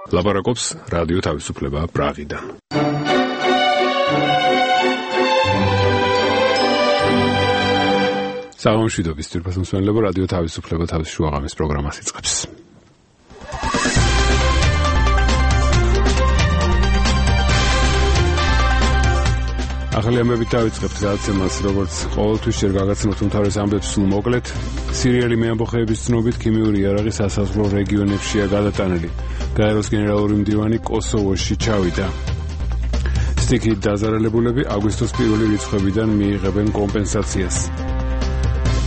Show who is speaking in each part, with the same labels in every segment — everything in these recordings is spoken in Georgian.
Speaker 1: ლაპარაკობს რადიო თავისუფლება პრაღიდან. საღამოშვიდობის თირფას მსმენელებო, რადიო თავისუფლება თავის შუაღამის პროგრამას იწყებს. ახალი ამბებით დავიწყებთ გადაცემას, როგორც ყოველთვის ჯერ გაგაცნოთ უმთავრეს ამბებს სულ მოკლედ. სირიელი მეამბოხეების ცნობით ქიმიური იარაღი სასაზღვრო რეგიონებშია გადატანილი. გაეროს გენერალური მდივანი კოსოვოში ჩავიდა. სტიქით დაზარალებულები აგვისტოს პირველი რიცხვებიდან მიიღებენ კომპენსაციას.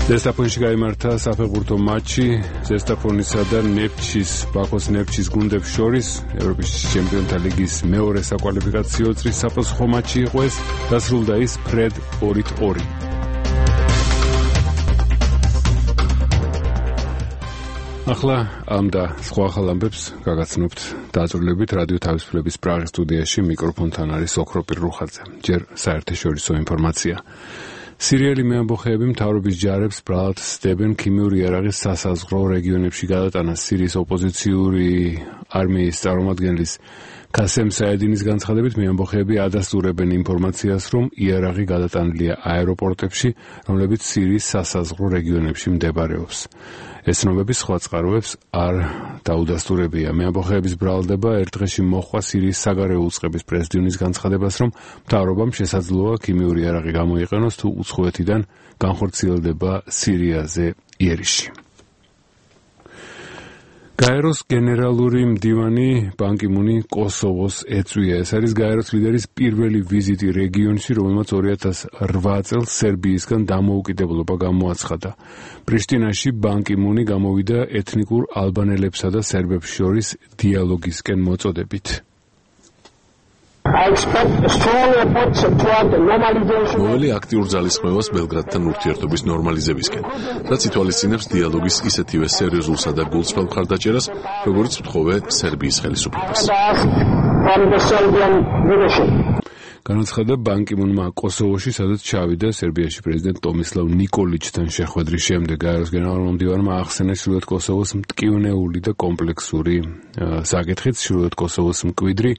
Speaker 1: ზესტაფონში გაიმართა საფეხბურთო მატჩი ზესტაფონისა და ნეფჩის, ბაქოს ნეფჩის გუნდებს შორის. ევროპის ჩემპიონთა ლიგის მეორე საკვალიფიკაციო წრის საფრთხო მატჩი იყო ეს, დასრულდა ის ფრედ 2-2. ახლა ამ და სხვა ახალ ამბებს გაგაცნობთ დაწვრილებით რადიო თავისუფლების პრაღის სტუდიაში. მიკროფონთან არის ოქროპირ რუხაძე. ჯერ საერთაშორისო ინფორმაცია. სირიელი მეამბოხეები მთავრობის ჯარებს ბრალად სდებენ ქიმიური იარაღის სასაზღვრო რეგიონებში გადატანას. სირიის ოპოზიციური არმიის წარმომადგენლის ქასემ საედინის განცხადებით, მეამბოხეები ადასტურებენ ინფორმაციას, რომ იარაღი გადატანილია აეროპორტებში, რომლებიც სირიის სასაზღვრო რეგიონებში მდებარეობს. ეს ცნობები სხვა წყაროებს არ დაუდასტურებია. მეამბოხეების ბრალდება ერთ დღეში მოჰყვა სირიის საგარეო უწყების პრეზიდენტის განცხადებას, რომ მთავრობამ შესაძლოა ქიმიური იარაღი გამოიყენოს, თუ უცხოეთიდან განხორციელდება სირიაზე იერიში. გაეროს გენერალური მდივანი ბან კი მუნი კოსოვოს ეწვია. ეს არის გაეროს ლიდერის პირველი ვიზიტი რეგიონში, რომელმაც 2008 წელს სერბიისგან დამოუკიდებლობა გამოაცხადა. პრიშტინაში ბან კი მუნი გამოვიდა ეთნიკურ ალბანელებსა და სერბებს შორის დიალოგისკენ მოწოდებით.
Speaker 2: მოველი აქტიურ ძალისხმევას ბელგრადთან ურთიერთობის ნორმალიზებისკენ, რაც ითვალისწინებს დიალოგის ისეთივე სერიოზულსა და გულწრფელ მხარდაჭერას, როგორც ვთხოვე სერბიის ხელისუფლებას. განაცხადა ბან კი მუნმა კოსოვოში, სადაც ჩავიდა სერბიაში პრეზიდენტ ტომისლავ ნიკოლიჩთან შეხვედრის შემდეგ. გაეროს გენერალურმა მდივანმა ახსენა ჩრდილოეთ კოსოვოს მტკივნეული და კომპლექსური საკითხიც. ჩრდილოეთ კოსოვოს მკვიდრი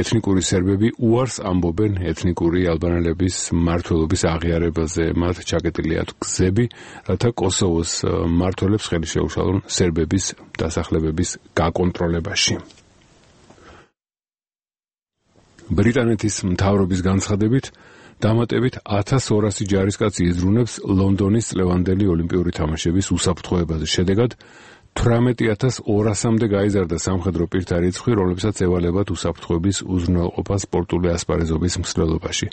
Speaker 2: ეთნიკური სერბები უარს ამბობენ ეთნიკური ალბანელების მმართველობის აღიარებაზე. მათ ჩაკეტილი აქვთ გზები, რათა კოსოვოს მმართველებს ხელი შეუშალონ სერბების დასახლებების გაკონტროლებაში. ბრიტანეთის მთავრობის განცხადებით, დამატებით 1200 ჯარისკაცი იზრუნებს ლონდონის წლევანდელი ოლიმპიური თამაშების უსაფრთხოებაზე. შედეგად 18200-მდე გაიზარდა სამხედრო პირთა რიცხვი, რომლებსაც ევალებათ უსაფრთხოების უზრუნველყოფა სპორტული ასპარეზობის მსვლელობაში.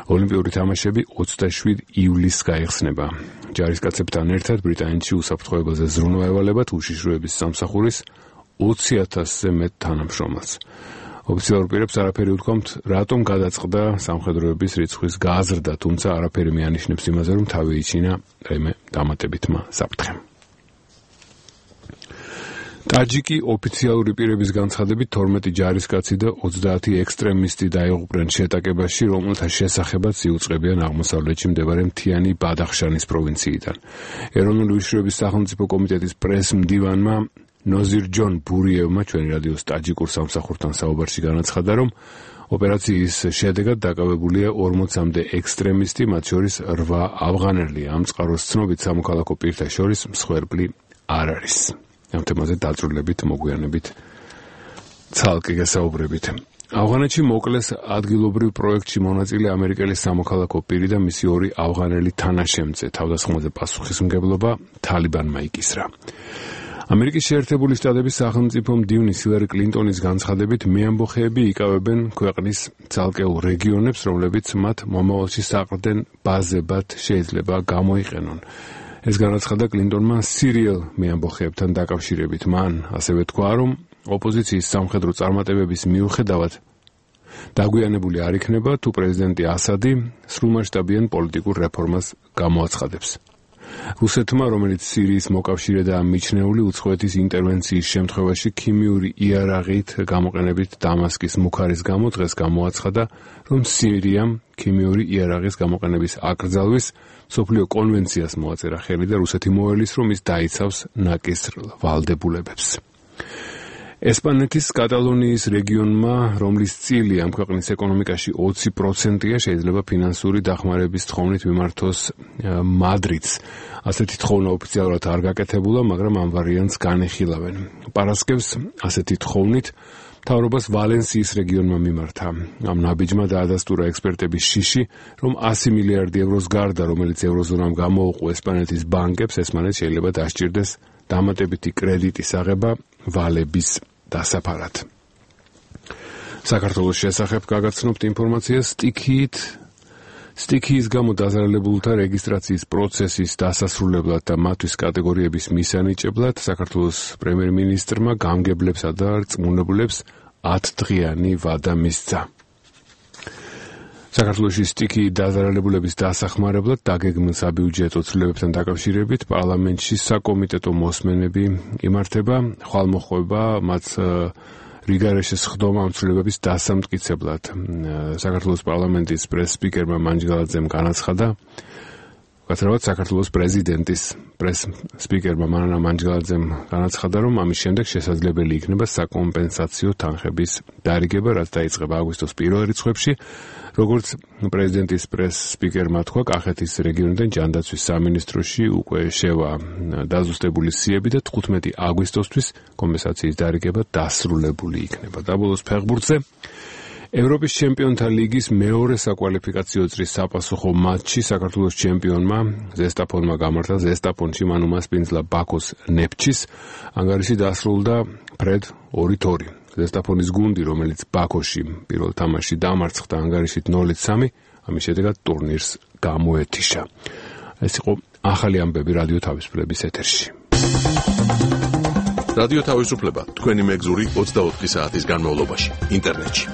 Speaker 2: ოლიმპიური თამაშები 27 ივლისს გაიხსნება. ჯარისკაცებთან ერთად ბრიტანეთში უსაფრთხოებაზე ზრუნვა ევალებათ უშიშროების სამსახურის 20000-ზე მეტ თანამშრომელს. ოფიციალურ პირებს არაფერი უთქვამთ, რატომ გადაწყდა სამხედროების რიცხვის გაზრდა, თუმცა არაფერი მიანიშნებს იმაზე, რომ თავი იჩინა რაიმე დამატებითმა საფრთხემ. ტაჯიკი ოფიციალური პირების განცხადებით 12 ჯარისკაცი და 30 ექსტრემისტი დაიღუპნენ შეტაკებაში, რომელთა შესახებაც იუწყებიან აღმოსავლეთში მდებარე მთიანი ბადახშანის პროვინციიდან. ეროვნული უშიშროების სახელმწიფო კომიტეტის პრეს-მდივანმა ნოზირ ჯონ ბურიევმა ჩვენი რადიოს ტაჯიკურ სამსახურთან საუბარში განაცხადა, რომ ოპერაციის შედეგად დაკავებულია 40-მდე ექსტრემისტი, მათ შორის 8 ავღანელი. ამ წყაროს ცნობით სამოქალაქო პირთა შორის მსხვერპლი არ არის. ამ თემაზე დაწვრილებით მოგვიანებით ცალკე გასაუბრებით. ავღანეთში მოკლეს ადგილობრივ პროექტში მონაწილე ამერიკელი სამოქალაქო პირი და მისი 2 ავღანელი თანაშემწე. თავდასხმაზე პასუხისმგებლობა თალიბანმა იკისრა. ამერიკის შეერთებული შტატების სახელმწიფო მდივნის ჰილარი კლინტონის განცხადებით, მეამბოხეები იკავებენ ქვეყნის ცალკეულ რეგიონებს, რომლებიც მათ მომავალში საყრდენ ბაზებად შეიძლება გამოიყენონ. ეს განაცხადა კლინტონმა სირიელ მეამბოხეებთან დაკავშირებით. მან ასევე თქვა, რომ ოპოზიციის სამხედრო წარმატებების მიუხედავად დაგვიანებული არ იქნება, თუ პრეზიდენტი ასადი სრულმასშტაბიან პოლიტიკურ რეფორმას გამოაცხადებს. რუსეთმა, რომელიც სირიის მოკავშირედაა მიჩნეული, უცხოეთის ინტერვენციის შემთხვევაში ქიმიური იარაღით გამოყენებით დამასკის მუქარის გამო დღეს გამოაცხადა, რომ სირიამ ქიმიური იარაღის გამოყენების აკრძალვის მსოფლიო კონვენციას მოაწერა ხელი და რუსეთი მოელის, რომ ის დაიცავს ნაკისრ ვალდებულებებს. ესპანეთის კატალონიის რეგიონმა, რომლის წილი ამ ქვეყნის ეკონომიკაში 20%-ია, შეიძლება ფინანსური დახმარების თხოვნით მიმართოს მადრიდს. ასეთი თხოვნა ოფიციალურად არ გაკეთებულა, მაგრამ ამ ვარიანტს განეხილავენ. პარასკევს ასეთი თხოვნით მთავრობას ვალენსიის რეგიონმა მიმართა. ამ ნაბიჯმა დაადასტურა ექსპერტების შიში, რომ 100 მილიარდი ევროს გარდა, რომელიც ევროზონამ გამოუყო ესპანეთის ბანკებს, ესპანეთს შეიძლება დასჭირდეს დამატებითი კრედიტის აღება ვალების დასაფარად. საქართველოს შესახებ გაგაცნობთ ინფორმაციას სტიქიის გამო დაზარალებულთა რეგისტრაციის პროცესის დასასრულებლად და მათთვის კატეგორიების მისანიჭებლად საქართველოს პრემიერ-მინისტრმა გამგებლებსა და რწმუნებულებს 10 დღიანი ვადა მისცა. საქართველოში სტიქიის დაზარალებულების დასახმარებლად დაგეგმილ საბიუჯეტო ცვლილებებთან დაკავშირებით პარლამენტში საკომიტეტო მოსმენები იმართება, ხვალმოხვება მათ რიგარეშეს ხდომა ამ ცვლილებების დასამტკიცებლად. საქართველოს პარლამენტის პრეს-სპიკერმა მანჯგალაძემ განაცხადა, გაცრავად საქართველოს პრეზიდენტის პრეს-სპიკერმა მანანა მანჯგალაძემ განაცხადა, რომ ამის შემდეგ შესაძლებელი იქნება საკომპენსაციო თანხების დარიგება, რაც დაიწყება აგვისტოს პირველ რიცხვებში. როგორც პრეზიდენტის პრეს-სპიკერმა თქვა, კახეთის რეგიონიდან ჯანდაცვის სამინისტროში უკვე შევა დაზუსტებული სიები და 15 აგვისტოსთვის კომპენსაციის დარიგება დასრულებული იქნება. დაბოლოს ფეხბურთზე ევროპის ჩემპიონთა ლიგის მეორე საკვალიფიკაციო წრის საპასუხო მატჩი საქართველოს ჩემპიონმა ზესტაფონმა გამართა ზესტაფონში მან უმასპინძლა ბაქოს ნეფჩის. ანგარიში დასრულდა ფრედ 2-2. ზესტაფონის გუნდი, რომელიც ბაქოში პირველ თამაშში დამარცხდა ანგარიშით 0-3, ამის შედეგად ტურნირს გამოეთიშა. ეს იყო ახალი ამბები რადიო თავისუფლების ეთერში.
Speaker 3: რადიო თავისუფლება თქვენი მეგზური 24 საათის განმავლობაში ინტერნეტში.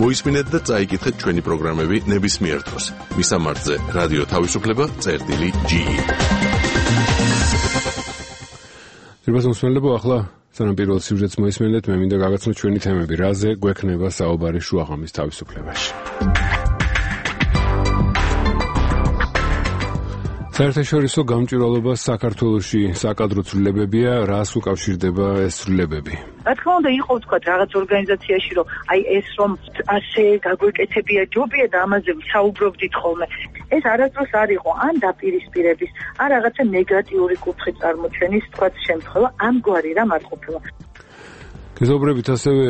Speaker 3: მოისმინეთ და წაიკითხეთ ჩვენი პროგრამები ნებისმიერ დროს. მისამართზე რადიო თავისუფლება.ge.
Speaker 2: Რიბას მოსმენლებო, ახლა სანამ პირველ სიუჟეტს მოისმენთ, მე მინდა გაგაცნო ჩვენი თემები, რაზე გვექნება საუბარი შუაღამის თავისუფლებაში. საერთაშორისო გამჭვირვალობა საქართველოში საკადრო ცვლილებებია, რას უკავშირდება ეს ცვლილებები?
Speaker 4: რა თქმა უნდა, იყო თქვა რაღაც ორგანიზაციაში, რომ აი ეს რომ ასე გაგვეკეთებია ჯობია და ამაზე საუბრობდით ხოლმე. ეს არასდროს არ იყო ან დაპირისპირების, ან რაღაცა ნეგატიური კუთხით წარმოჩენის თქვა შემთხვევა, ამგვარი რამ არ ყოფილა.
Speaker 2: გეზობრებით ასევე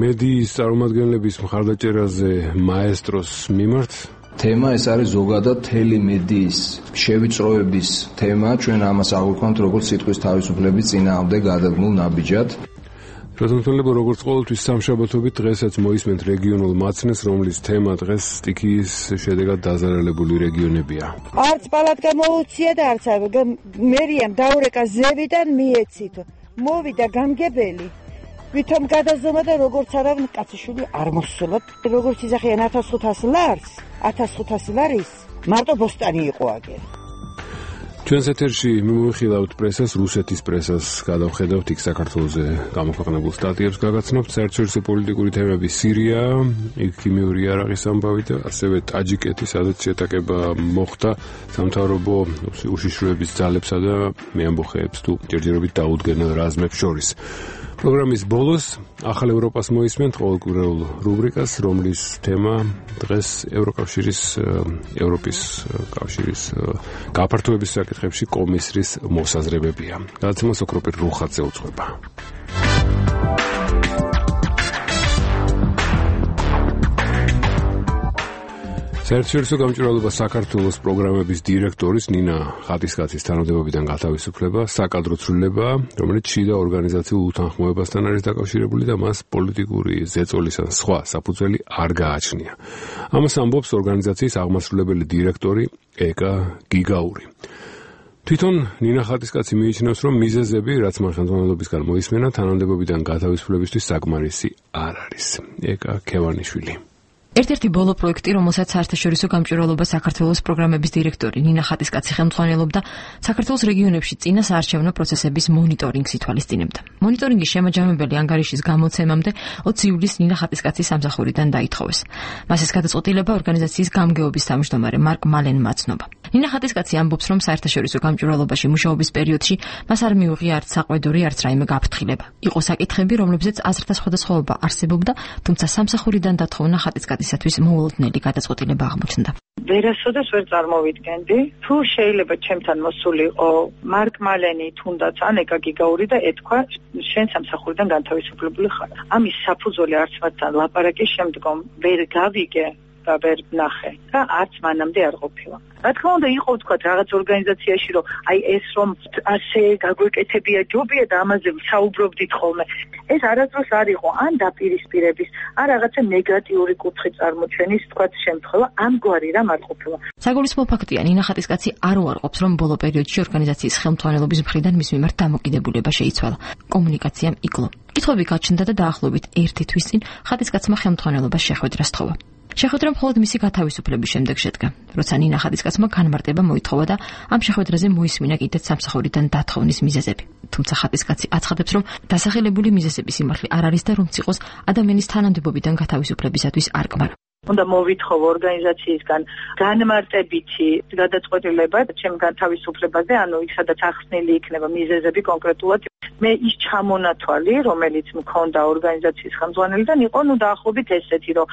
Speaker 2: მედიის წარმომადგენლების მხარდაჭერაზე მაესტროს მიმართ.
Speaker 5: თემა ეს არის ზოგადად მთელი მედიის შევიწროების თემა. ჩვენ ამას აღვიქვამთ როგორც სიტყვის თავისუფლების წინააღმდეგ გადადგმულ ნაბიჯად.
Speaker 2: პრეზიდენტებო, როგორც ყოველთვის სამშაბათობით დღესაც მოისმენთ რეგიონულ მაცნეს, რომლის თემა დღეს სტიქიის შედეგად დაზარალებული რეგიონებია.
Speaker 6: არც პალატ გამოუცია და არც მერიამ დაურეკა ზევიდან მიეცით. მოვიდა გამგებელი. ვითომ გადაზომა და როგორც არავინ კაციშვილი არ მოსულა. როგორც იძახიან 1500 ლარს, 1500 ლარის მარტო ბოსტანი იყო აგერ.
Speaker 2: ჩვენს ეთერში მიმოვიხილავთ პრესას, რუსეთის პრესას გადავხედავთ იქ საქართველოზე გამოქვეყნებულ სტატიებს გაგაცნობთ, საერთაშორისო პოლიტიკური თემები, სირია, იქ ქიმიური იარაღის ამბავი და ასევე ტაჯიკეთი, სადაც შეტაკება მოხდა სამთავრობო უშიშროების ძალებსა და მეამბოხეებს თუ ჯერჯერობით დაუდგენელ რაზმებს შორის. პროგრამის ბოლოს ახალ ევროპას მოისმენთ ყოველკვირეულ რუბრიკას, რომლის თემა დღეს ევროპის კავშირის გაფართოების საკითხებში კომისრის მოსაზრებებია. გადაცემა სოკროპირ რუხაძე უძღვება. საერთაშორისო გამჭვირვალობა საქართველოს პროგრამების დირექტორის ნინა ხატისკაცის თანამდებობიდან გათავისუფლება საკადრო ცვლილება, რომელიც შიდა ორგანიზაციულ უთანხმოებასთან არის დაკავშირებული და მას პოლიტიკური ზეწოლის ან სხვა საფუძველი არ გააჩნია. ამას ამბობს ორგანიზაციის აღმასრულებელი დირექტორი ეკა გიგაური. თვითონ ნინა ხატისკაცი მიიჩნევს, რომ მიზეზები, რაც მან ხელმძღვანელობისგან მოისმენა, თანამდებობიდან გათავისუფლებისთვის საკმარისი არ არის. ეკა ქევანიშვილი.
Speaker 7: ერთ-ერთი ბოლო პროექტი, რომელსაც საერთაშორისო გამჭვირვალობა საქართველოს პროგრამების დირექტორი ნინა ხატისკაცი ხელმძღვანელობდა, საქართველოს რეგიონებში წინა საარჩევნო პროცესების მონიტორინგს ითვალისწინებდა. მონიტორინგის შემაჯამებელი ანგარიშის გამოცემამდე 20 ივლისს ნინა ხატისკაცის სამსახურიდან დაითხოვეს. მას ეს გადაწყვეტილება ორგანიზაციის გამგეობის თავმჯდომარე მარკ მალენმა აცნობა. ნინა ხატისკაცი ამბობს, რომ საერთაშორისო გამჭვირვალობაში მუშაობის პერიოდში მას არ მიუღია არც საყვედური, არც რაიმე გაფრთხილება. იყო საკითხები, რომლებზეც აზრთა სხვადასხვაობა არსებობდა, თუმცა სამსახურიდან დათხოვნა ხატისკაცისათვის მოულოდნელი გადაწყვეტილება აღმოჩნდა.
Speaker 4: ვერასოდეს ვერ წარმოვიდგენდი, თუ შეიძლება ჩემთან მოსულიყო მარკ მალენი თუნდაც ან ეკა გიგაური და ეთქვა შენ სამსახურიდან განთავისუფლებული ხარ. ამის საფუძველი არც მათთან ლაპარაკის შემდგომ ვერ გავიგე და ვერ ვნახე და არც მანამდე არ ყოფილა. რა თქმა უნდა, იყო თქვა რაღაც ორგანიზაციაში, რომ აი ეს რომ ასე გაგვეკეთებია ჯობია და ამაზე საუბრობდით ხოლმე. ეს არასდროს არ იყო ან დაპირისპირების, ან რაღაცა ნეგატიური კუთხე წარმოჩენის თქვა შემთხვევა, ამგვარი რამ არ ყოფილა.
Speaker 7: საგულისხმო ფაქტია, ნინა ხატისკაცი არ უარყოფს, რომ ბოლო პერიოდში ორგანიზაციის ხელმძღვანელობის მხრიდან მის მიმართ დამოკიდებულება შეიცვალა. კომუნიკაციამ იკლო. კითხვები გაჩნდა და დაახლოებით 1 თვის წინ ხატისკაცმა ხელმძღვანელობას შეხვედრა სთხოვა. შეხვედრა მხოლოდ მისი გათავისუფლების შემდეგ შედგა, როცა ნინა ხატისკაცმა განმარტება მოითხოვა და ამ შეხვედრაზე მოისმინა კიდეც სამსახურიდან დათხოვნის მიზეზები. თუმცა ხატისკაცი აცხადებს, რომ დასახელებული მიზეზების სიმართლე არ არის და რომც იყოს ადამიანის თანამდებობიდან გათავისუფლებისათვის არ კმარო.
Speaker 4: უნდა მოვითხოვ ორგანიზაციისგან განმარტებითი გადაწყვეტილება ჩემ გათავისუფლებაზე, ანუ იქ სადაც ახსნილი იქნება მიზეზები კონკრეტულად. მე ის ჩამონათვალი, რომელიც მქონდა ორგანიზაციის ხელმძღვანელიდან, იყო დაახლოებით ესეთი, რომ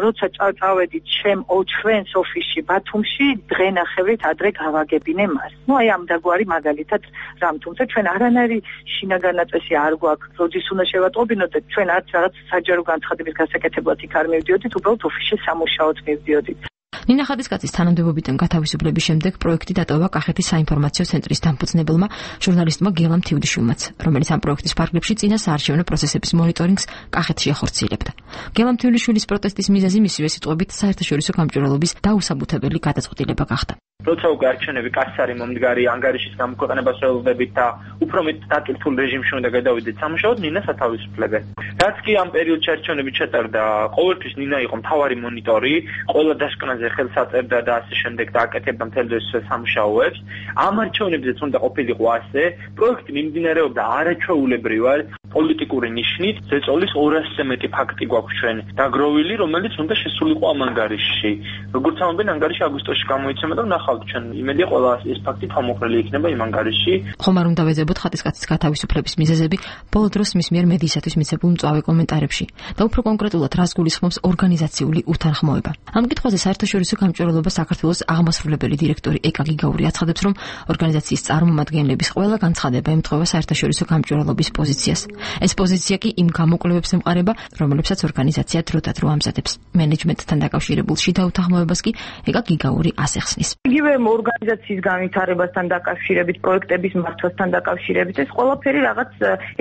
Speaker 4: როცა წავედით ჩვენს ოფისში ბათუმში, დღენახევრით ადრე გავაგებინე მას. აი ამ დაგვარი მაგალითად რამ, თუმცა ჩვენ არანაირი შინაგანაწესი არ გვაქვს, როდის უნდა შევატყობინოთ და ჩვენ არც რაღაც საჯარო განცხადების გასაკეთებლად იქ არ მივდიოდით, უბრალოდ ოფისში სამუშაოდ მივდიოდით.
Speaker 7: ნინა ხატისკაცის თანამდებობიდან გათავისუფლების შემდეგ პროექტი დატოვა კახეთის საინფორმაციო ცენტრის დამფუძნებელმა ჟურნალისტმა გელამ თიუდიშვილმაც, რომელიც ამ პროექტის ფარგლებში წინა საარჩევნო პროცესების მონიტორინგს კახეთში ახორციელებდა. გელამ თიუდიშვილის პროტესტის მიზეზი მისივე სიტყვებით საერთაშორისო გამჭვირვალობის დაუსაბუთებელი გადაწყვეტილება გახდა.
Speaker 8: როცა უკვე არჩევნები კაცს არის მომდგარი ანგარიშის გამოქვეყნებას ველოდებით და უფრო მეტ დატვირთულ რეჟიმში უნდა გადავიდეთ სამუშაოდ, ნინას ათავისუფლებენ. რაც კი ამ პერიოდში არჩევნები ჩატარდა, ყოველთვის ნინა იყო მთავარი მონიტორი, ყველა დასკვნაზე ხელს აწერდა და ასე შემდეგ და აკეთებდა მთელ ეს სამუშაოებს. ამ არჩევნებზეც უნდა ყოფილიყო ასე, პროექტი მიმდინარეობდა არაჩვეულებრივად, პოლიტიკური ნიშნით, ზეწოლის 200-ზე მეტი ფაქტი გვაქვს ჩვენ დაგროვილი, რომელიც უნდა შესულიყო ამ ანგარიშში. როგორც ამბობენ, ანგარიში აგვისტოში გამოიცემა და ნახავთ ჩვენ, იმედია ყველა ეს ფაქტი თავმოყრილი იქნება იმ ანგარიშში.
Speaker 7: ხომ არ უნდა ვეძებოთ ხატისკაცის გათავისუფლების მიზეზები ბოლო დროს მის მიერ მედიისათვის მიცემულ მწვავე კომენტარებში და უფრო კონკრეტულად რას გულისხმობს ორგანიზაციული უთანხმოება. ამ კითხვაზე საერთაშორისო გამჭვირვალობა საქართველოს აღმასრულებელი დირექტორი ეკა გიგაური აცხადებს, რომ ორგანიზაციის წარმომადგენლების ყველა განცხადება ემთხვევა საერთაშორისო გამჭვირვალობის პოზიციას. ეს პოზიცია კი იმ გამოკვლევებს ემყარება, რომლებსაც ორგანიზაცია დროდადრო ამზადებს. მენეჯმენტთან დაკავშირებულ შიდა უთანხმოებას კი ეკა გიგაური ასახსნის.
Speaker 4: იგივე ორგანიზაციის განვითარებასთან დაკავშირებით, პროექტების მართვასთან დაკავშირებით, ეს ყველაფერი რაღაც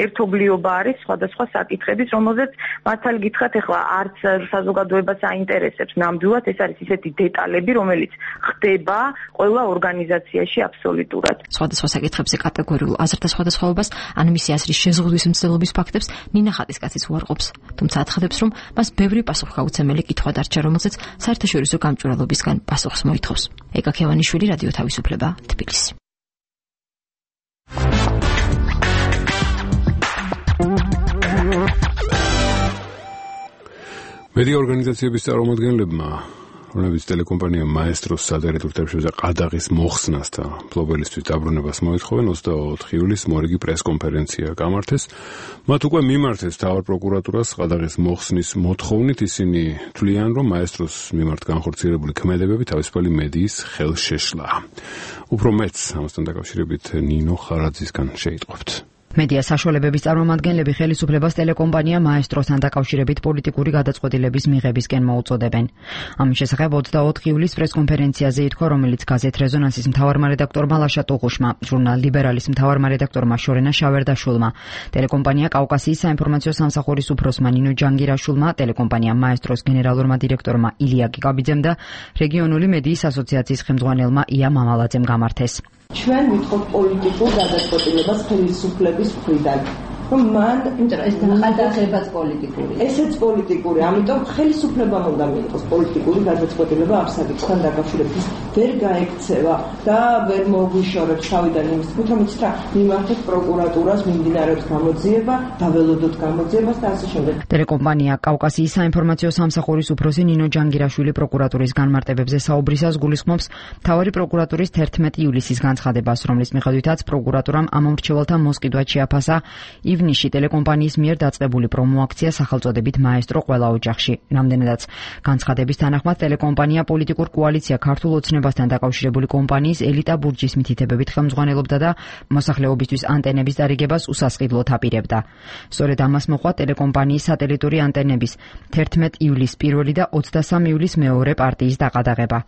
Speaker 4: ერთობლიობა არის სხვადასხვა საკითხების, რომელზეც მართალი გითხრათ, ეხლა არც საზოგადოებას აინტერესებს ნამდვილად, ეს არის ისეთი დეტალები, რომელიც ხდება ყველა ორგანიზაციაში აბსოლუტურად.
Speaker 7: სხვადასხვა საკითხებზე კატეგორიულ აზრთა სხვადასხვაობას ან მისი აზრის შეზღუდვის მცდელობის ფაქტებს ნინა ხატისკაცის უარყოფს, თუმცა აცხადებს, რომ მას ბევრი პასუხგაუცემელი კითხვა დარჩა, რომელზეც საერთაშორისო გამჭვირვალობისგან პასუხს მოითხოვს. ეკა ქევანიშვილი, რადიო თავისუფლება, თბილისი.
Speaker 2: მედია ორგანიზაციების წარმომადგენლებმა, რომლებიც ტელეკომპანია მაესტროს სადერექტორ თებშებზე ყადაღის მოხსნას და მფლობელისთვის დაბრუნებას მოითხოვენ, 24 ივლისს მორიგი პრესკონფერენცია გამართეს. მათ უკვე მიმართეს მთავარ პროკურატურას ყადაღის მოხსნის მოთხოვნით. ისინი თვლიან, რომ მაესტროს მიმართ განხორციელებული ქმედებები თავისუფალი მედიის ხელშეშლა. უფრო მეც ამასთან დაკავშირებით ნინო ხარაძისგან შეიტყობთ.
Speaker 9: მედია საშუალებების წარმომადგენლები ხელისუფლებას ტელეკომპანია მაესტროსთან დაკავშირებით პოლიტიკური გადაწყვეტილების მიღებისკენ მოუწოდებენ. ამის შესახებ 24 ივლისს პრესკონფერენციაზე ითქვა, რომელიც გაზეთ რეზონანსის მთავარმა რედაქტორმა ლაშა ტუღუშმა, ჟურნალ ლიბერალის მთავარმა რედაქტორმა შორენა შავერდაშვილმა, ტელეკომპანია კავკასიის საინფორმაციო სამსახურის უფროსმა ნინო ჯანგირაშვილმა, ტელეკომპანია მაესტროს გენერალურმა დირექტორმა ილია გიგაბიძემ და რეგიონული მედიის ასოციაციის ხელმძღვანელმა ია მამალაძემ გამართეს.
Speaker 10: ჩვენ ვითხოვთ პოლიტიკურ გადაწყვეტილებას ხელისუფლების მხრიდან. რომ მან
Speaker 11: ეს გადაღებაც პოლიტიკური.
Speaker 10: ესეც პოლიტიკური, ამიტომ ხელისუფლებამ უნდა მიიღოს პოლიტიკური გადაწყვეტილება ამ საკითხთან დაკავშირებით. ვერ გაექცევა და ვერ მოგვიშორებს თავიდან იმის თქმით, რომ იცით რა, მიმართოთ პროკურატურას, მიმდინარეობს გამოძიება, დაველოდოთ გამოძიებას და ასე შემდეგ.
Speaker 9: ტელეკომპანია კავკასიის საინფორმაციო სამსახურის უფროსი ნინო ჯანგირაშვილი პროკურატურის განმარტებებზე საუბრისას გულისხმობს მთავარი პროკურატურის 11 ივლისის განცხადებას, რომლის მიხედვითაც პროკურატურამ ამ მრჩეველთა მოსყიდვად შეაფასა ივნისში ტელეკომპანიის მიერ დაწყებული პრომოაქცია სახელწოდებით მაესტრო ყველა ოჯახში. რამდენადაც განცხადების თანახმად ტელეკომპანია პოლიტიკურ კოალიცია ქართულ ოცნებასთან დაკავშირებული კომპანიის ელიტა ბურჯის მითითებებით ხელმძღვანელობდა და მოსახლეობისთვის ანტენების დარიგებას უსასყიდლოდ აპირებდა. სწორედ ამას მოყვა ტელეკომპანიის სატელიტური ანტენების 11 ივლისს პირველი და 23 ივლისს მეორე პარტიის დაყადაღება.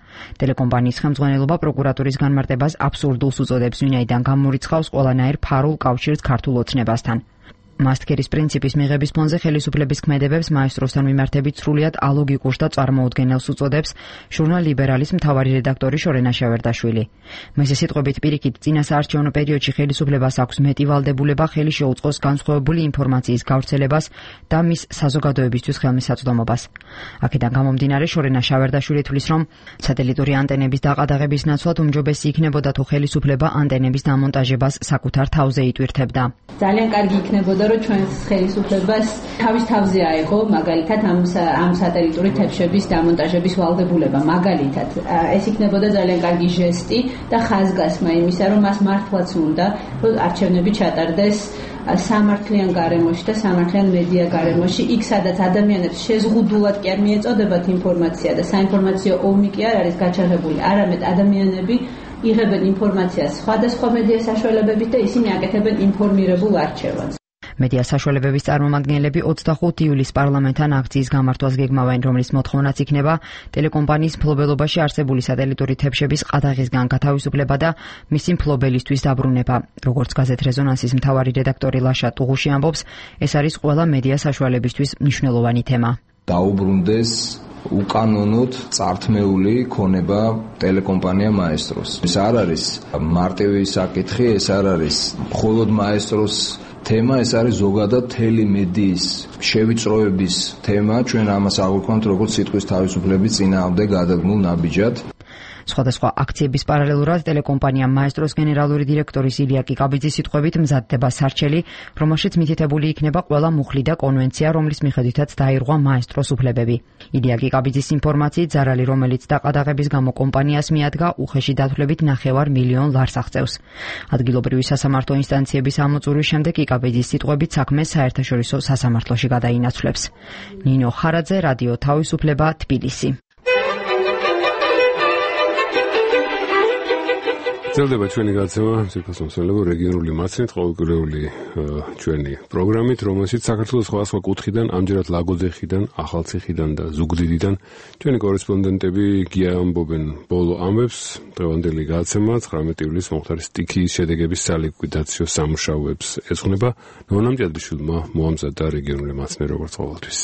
Speaker 9: ტელეკომპანიის ხელმძღვანელობა პროკურატურის განმარტებას აბსურდულს უწოდებს, ვინაიდან გამორიცხავს ყველანაირ ფარულ კავშირს ქართულ ოცნებასთან. მასტკერის პრინციპის მიღების ფონზე ხელისუფლების ქმედებებს მაესტროსთან მიმართებით სრულიად ალოგიკურს და წარმოუდგენელს უწოდებს ჟურნალ ლიბერალის მთავარი რედაქტორი შორენა შევერდაშვილი. მისი სიტყვებით პირიქით წინა საარჩევნო პერიოდში ხელისუფლებას აქვს მეტი ვალდებულება ხელი შეუწყოს განსხვავებული ინფორმაციის გავრცელებას და მის საზოგადოებისთვის ხელმისაწვდომობას. აქედან გამომდინარე შორენა შევერდაშვილი თვლის, რომ სატელიტური ანტენების დაყადაღების ნაცვლად უმჯობესი იქნებოდა თუ ხელისუფლება ანტენების დამონტაჟებას საკუთარ თავზე იტვირთებდა.
Speaker 11: ძალიან კარგი იქნებოდა რომ ჩვენს ხელისუფლებას თავის თავზე აიღო მაგალითად ამ სატელიტური თებშების დამონტაჟების ვალდებულება. მაგალითად ეს იქნებოდა ძალიან კარგი ჟესტი და ხაზგასმა იმისა, რომ მას მართლაც უნდა რომ არჩევნები ჩატარდეს სამართლიან გარემოში და სამართლიან მედია გარემოში, იქ სადაც ადამიანებს შეზღუდულად კი არ მიეწოდებათ ინფორმაცია და საინფორმაციო ომი კი არ არის გაჩაღებული, არამედ ადამიანები იღებენ ინფორმაციას სხვადასხვა მედია საშუალებებით და ისინი აკეთებენ ინფორმირებულ არჩევანს.
Speaker 9: მედია საშუალებების წარმომადგენლები 25 ივლისს პარლამენტთან აქციის გამართვას გეგმავენ, რომლის მოთხოვნაც იქნება ტელეკომპანიის მფლობელობაში არსებული სატელიტური თებშების ყადაღისგან გათავისუფლება და მისი მფლობელისთვის დაბრუნება. როგორც გაზეთ რეზონანსის მთავარი რედაქტორი ლაშა ტუღუში ამბობს, ეს არის ყველა მედია საშუალებისთვის მნიშვნელოვანი თემა.
Speaker 5: დაუბრუნდეს უკანონოდ წართმეული ქონება ტელეკომპანია მაესტროს. ეს არ არის მარტივი საკითხი, ეს არ არის მხოლოდ მაესტროს თემა, ეს არის ზოგადად მთელი მედიის შევიწროების თემა. ჩვენ ამას აღვიქვამთ როგორც სიტყვის თავისუფლების წინააღმდეგ გადადგმულ ნაბიჯად.
Speaker 9: სხვადასხვა აქციების პარალელურად ტელეკომპანია მაესტროს გენერალური დირექტორის ილია კიკაბიძის სიტყვებით მზადდება სარჩელი, რომელშიც მითითებული იქნება ყველა მუხლი და კონვენცია, რომლის მიხედვითაც დაირღვა მაესტროს უფლებები. ილია კიკაბიძის ინფორმაციით ზარალი, რომელიც დაყადაღების გამო კომპანიას მიადგა, უხეში დათვლებით 9 მილიონ ლარს აღწევს. ადგილობრივი სასამართლო ინსტანციების ამოწურვის შემდეგ კიკაბიძის სიტყვებით საქმეს საერთაშორისო სასამართლოში გადაინაცვლებს. ნინო ხარაძე, რადიო თავისუფლება, თბილისი.
Speaker 2: ძლდება ჩვენი გაცემა სოფლმოსალებო რეგიონული მაცნით ყოველკვირეული ჩვენი პროგრამით, რომელშიც საქართველოს სხვადასხვა კუთხიდან, ამჯერად ლაგოდეხიდან, ახალციხიდან და ზუგდიდიდან ჩვენი კორესპონდენტები გიამბობენ ბოლო ამბებს. დღევანდელი გაცემა 19 ივლისს მომხდარი სტიქიის შედეგების სალიკვიდაციო სამუშაოებს ეძღვნება. ნონა მჭედრიშვილმა მოამზადა რეგიონული მაცნე როგორც ყოველთვის.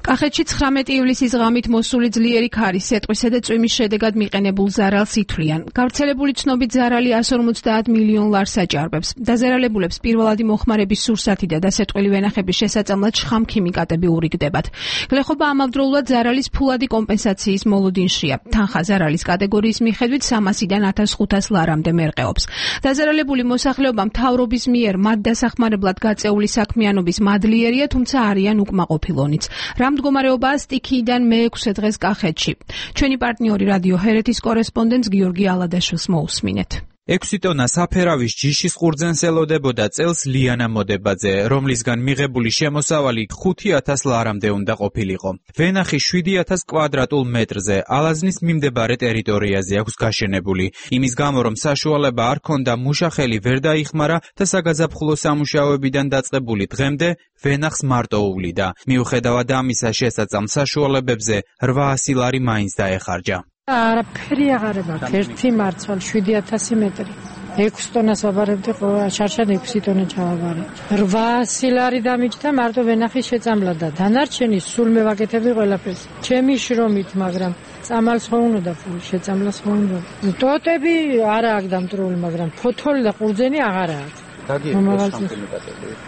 Speaker 12: კახეთში 19 ივლისის ღამით მოსული ძლიერი ქარი სეტყვისა და წვიმის შედეგად მიყენებულ ზარალს ითვლიან. გავრცელებული ცნობით ზარალი 150 მილიონ ლარს აჭარბებს. დაზარალებულებს პირველადი მოხმარების სურსათი და დასეტყვილი ვენახების შესაწამლად შხამქიმიკატები ურიგდებათ. გლეხობა ამავდროულად ზარალის ფულადი კომპენსაციის მოლოდინშია. თანხა ზარალის კატეგორიის მიხედვით 300-დან 1500 ლარამდე მერყეობს. დაზარალებული მოსახლეობა მთავრობის მიერ მათ დასახმარებლად გაწეული საქმიანობის მადლიერია, თუმცა არიან უკმაყოფილონიც. რა მდგომარეობაა სტიქიიდან მე-6 დღეს კახეთში. ჩვენი პარტნიორი რადიო ჰერეთის კორესპონდენტს გიორგი ალადაშვილს მოусმინეთ.
Speaker 13: 6 ტონა საფერავის ჯიშის ყურძენს ელოდებოდა წელს ლიანა მოდებაძე, რომლისგან მიღებული შემოსავალი 5000 ლარამდე უნდა ყოფილიყო. ვენახი 7000 კვადრატულ მეტრზე ალაზნის მიმდებარე ტერიტორიაზე აქვს გაშენებული. იმის გამო, რომ საშუალება არ ქონდა მუშახელი ვერ დაიხმარა და საგაზაფხულო სამუშაოებიდან დაწყებული დღემდე ვენახს მარტო უვლიდა. მიუხედავად ამისა, შესაწამ საშუალებებზე 800 ლარი მაინც დაეხარჯა.
Speaker 14: არაფერი აღარ მაქვს. ერთი მარცვალ 7000 მეტრი. 6 ტონას ვაბარებდი, შარშან 6 ტონა ჩავაბარე. 800 ლარი დამიჯდა მარტო ვენახის შეწამლა და დანარჩენი სულ მე ვაკეთებდი ყველაფერს. ჩემი შრომით, მაგრამ წამალს ხო უნდა ფული, შეწამლას ხო უნდა. ტოტები არა აქვს დამტრული, მაგრამ ფოთოლი და ყურძენი აღარა აქვს.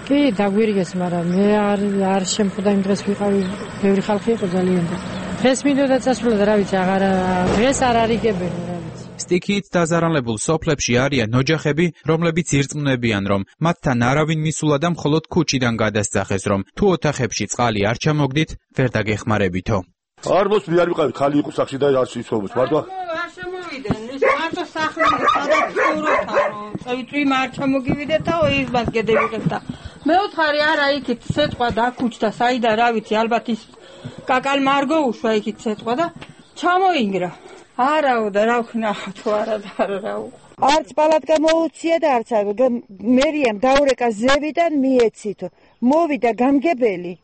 Speaker 14: კი, დაგვირიგეს, მაგრამ მე არ შემხვდა იმ დღეს ვიყავი, ბევრი ხალხი იყო ძალიან და დღეს მინდოდა წასვლა და რა ვიცი, დღეს არ არიგებენ რა ვიცი.
Speaker 13: სტიქიით დაზარალებულ სოფლებში არიან ოჯახები, რომლებიც ირწმუნებიან, რომ მათთან არავინ მისულა და მხოლოდ ქუჩიდან გადასძახეს, რომ თუ ოთახებში წყალი არ ჩამოგდით, ვერ დაგეხმარებითო.
Speaker 15: არ მოსვლი არ ვიყავი, ხალი იყო სახში და არ სიცხოვრობს, მარტო
Speaker 16: არ შემოვიდნენ, მარტო სახლში სადაც ცხოვრობთ, წვიმ არ ჩამოგივიდეთ და ის მას გედევიღეთ და მეოთხარი არა იქით სეტყვა დაქუჩდა, საიდან რა ვიცი, ალბათ ის კაკალ მარგო უშვა იქით სეტყვა და ჩამოინგრა. არაო და რა ვქნახა თუ არა და რაო.
Speaker 6: არც პალატ გამოუცია და არც მერიამ დაურეკა ზევიდან მიეცითო. მოვიდა გამგებელი.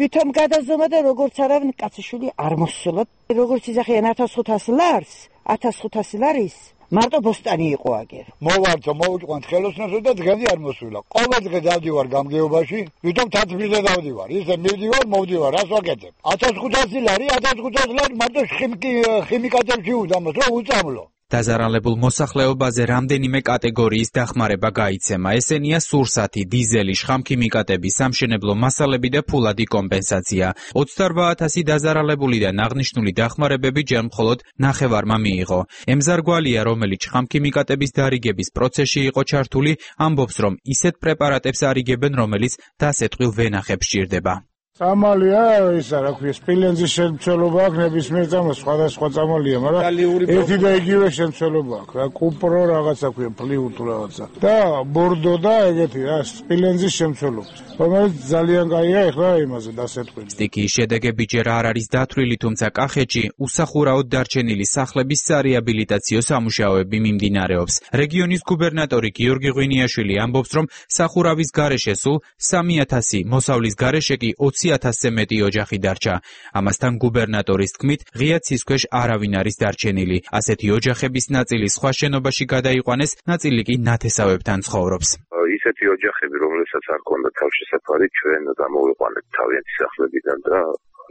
Speaker 6: ვითომ გადაზომა და როგორც არავინ კაციშვილი არ მოსულა. როგორც იძახიან 1500 ლარს, 1500 ლარის მარტო ბოსტანი იყო აგერ.
Speaker 17: მოვარდო, მოვიყვანთ ხელოსნოსო და დღემდე არ მოსულა. ყოველ დღე დავდივარ გამგეობაში, ვითომ თათბილზე დავდივარ. ისე მივდივარ, მოვდივარ, რას ვაკეთებ? 1500 ლარი, 1500 ლარი მარტო ხიმიკატებში უდამოს, რომ უწამლო.
Speaker 13: დაზარალებულ მოსახლეობაზე რამდენიმე კატეგორიის დახმარება გაიცემა. ესენია სურსათი, დიზელი, შხამქიმიკატები, სამშენებლო მასალები და ფულადი კომპენსაცია. 28,000 დაზარალებულიდან აღნიშნული დახმარებები ჯერ მხოლოდ ნახევარმა მიიღო. ემზარგვალია, რომელიც შხამქიმიკატების დარიგების პროცესში იყო ჩართული, ამბობს, რომ ისეთ პრეპარატებს არიგებენ, რომელიც დასეტყვილ ვენახებს სჭირდება.
Speaker 18: წამალია ისა რა ქვია სპილენძის შემცველობა აქვს ნებისმიერ წამალს სხვადასხვა წამალია მაგრამ ერთი და იგივე შემცველობა აქვს რა კუპრო რაღაცა ქვია ფლიუ თუ რაღაცა და ბორდო და ეგეთი რა სპილენძის შემცველობა რომელიც ძალიან კაია ეხლა იმაზე დასეტყვილი.
Speaker 13: სტიქიის შედეგები ჯერ არ არის დათვლილი, თუმცა კახეთში უსახურაოდ დარჩენილი სახლების სარეაბილიტაციო სამუშაოები მიმდინარეობს. რეგიონის გუბერნატორი გიორგი ღვინიაშვილი ამბობს, რომ სახურავის გარეშე სულ 3,000, მოსავლის გარეშე კი 20,000-ზე მეტი ოჯახი დარჩა. ამასთან გუბერნატორის თქმით, ღია ცის ქვეშ არავინ არის დარჩენილი. ასეთი ოჯახების ნაწილი სხვა შენობაში გადაიყვანეს, ნაწილი კი ნათესავებთან ცხოვრობს.
Speaker 19: ისეთი ოჯახები, რომლებსაც არ ქონდა თავშესაფარი, ჩვენ გამოვიყვანეთ თავიანთი სახლებიდან და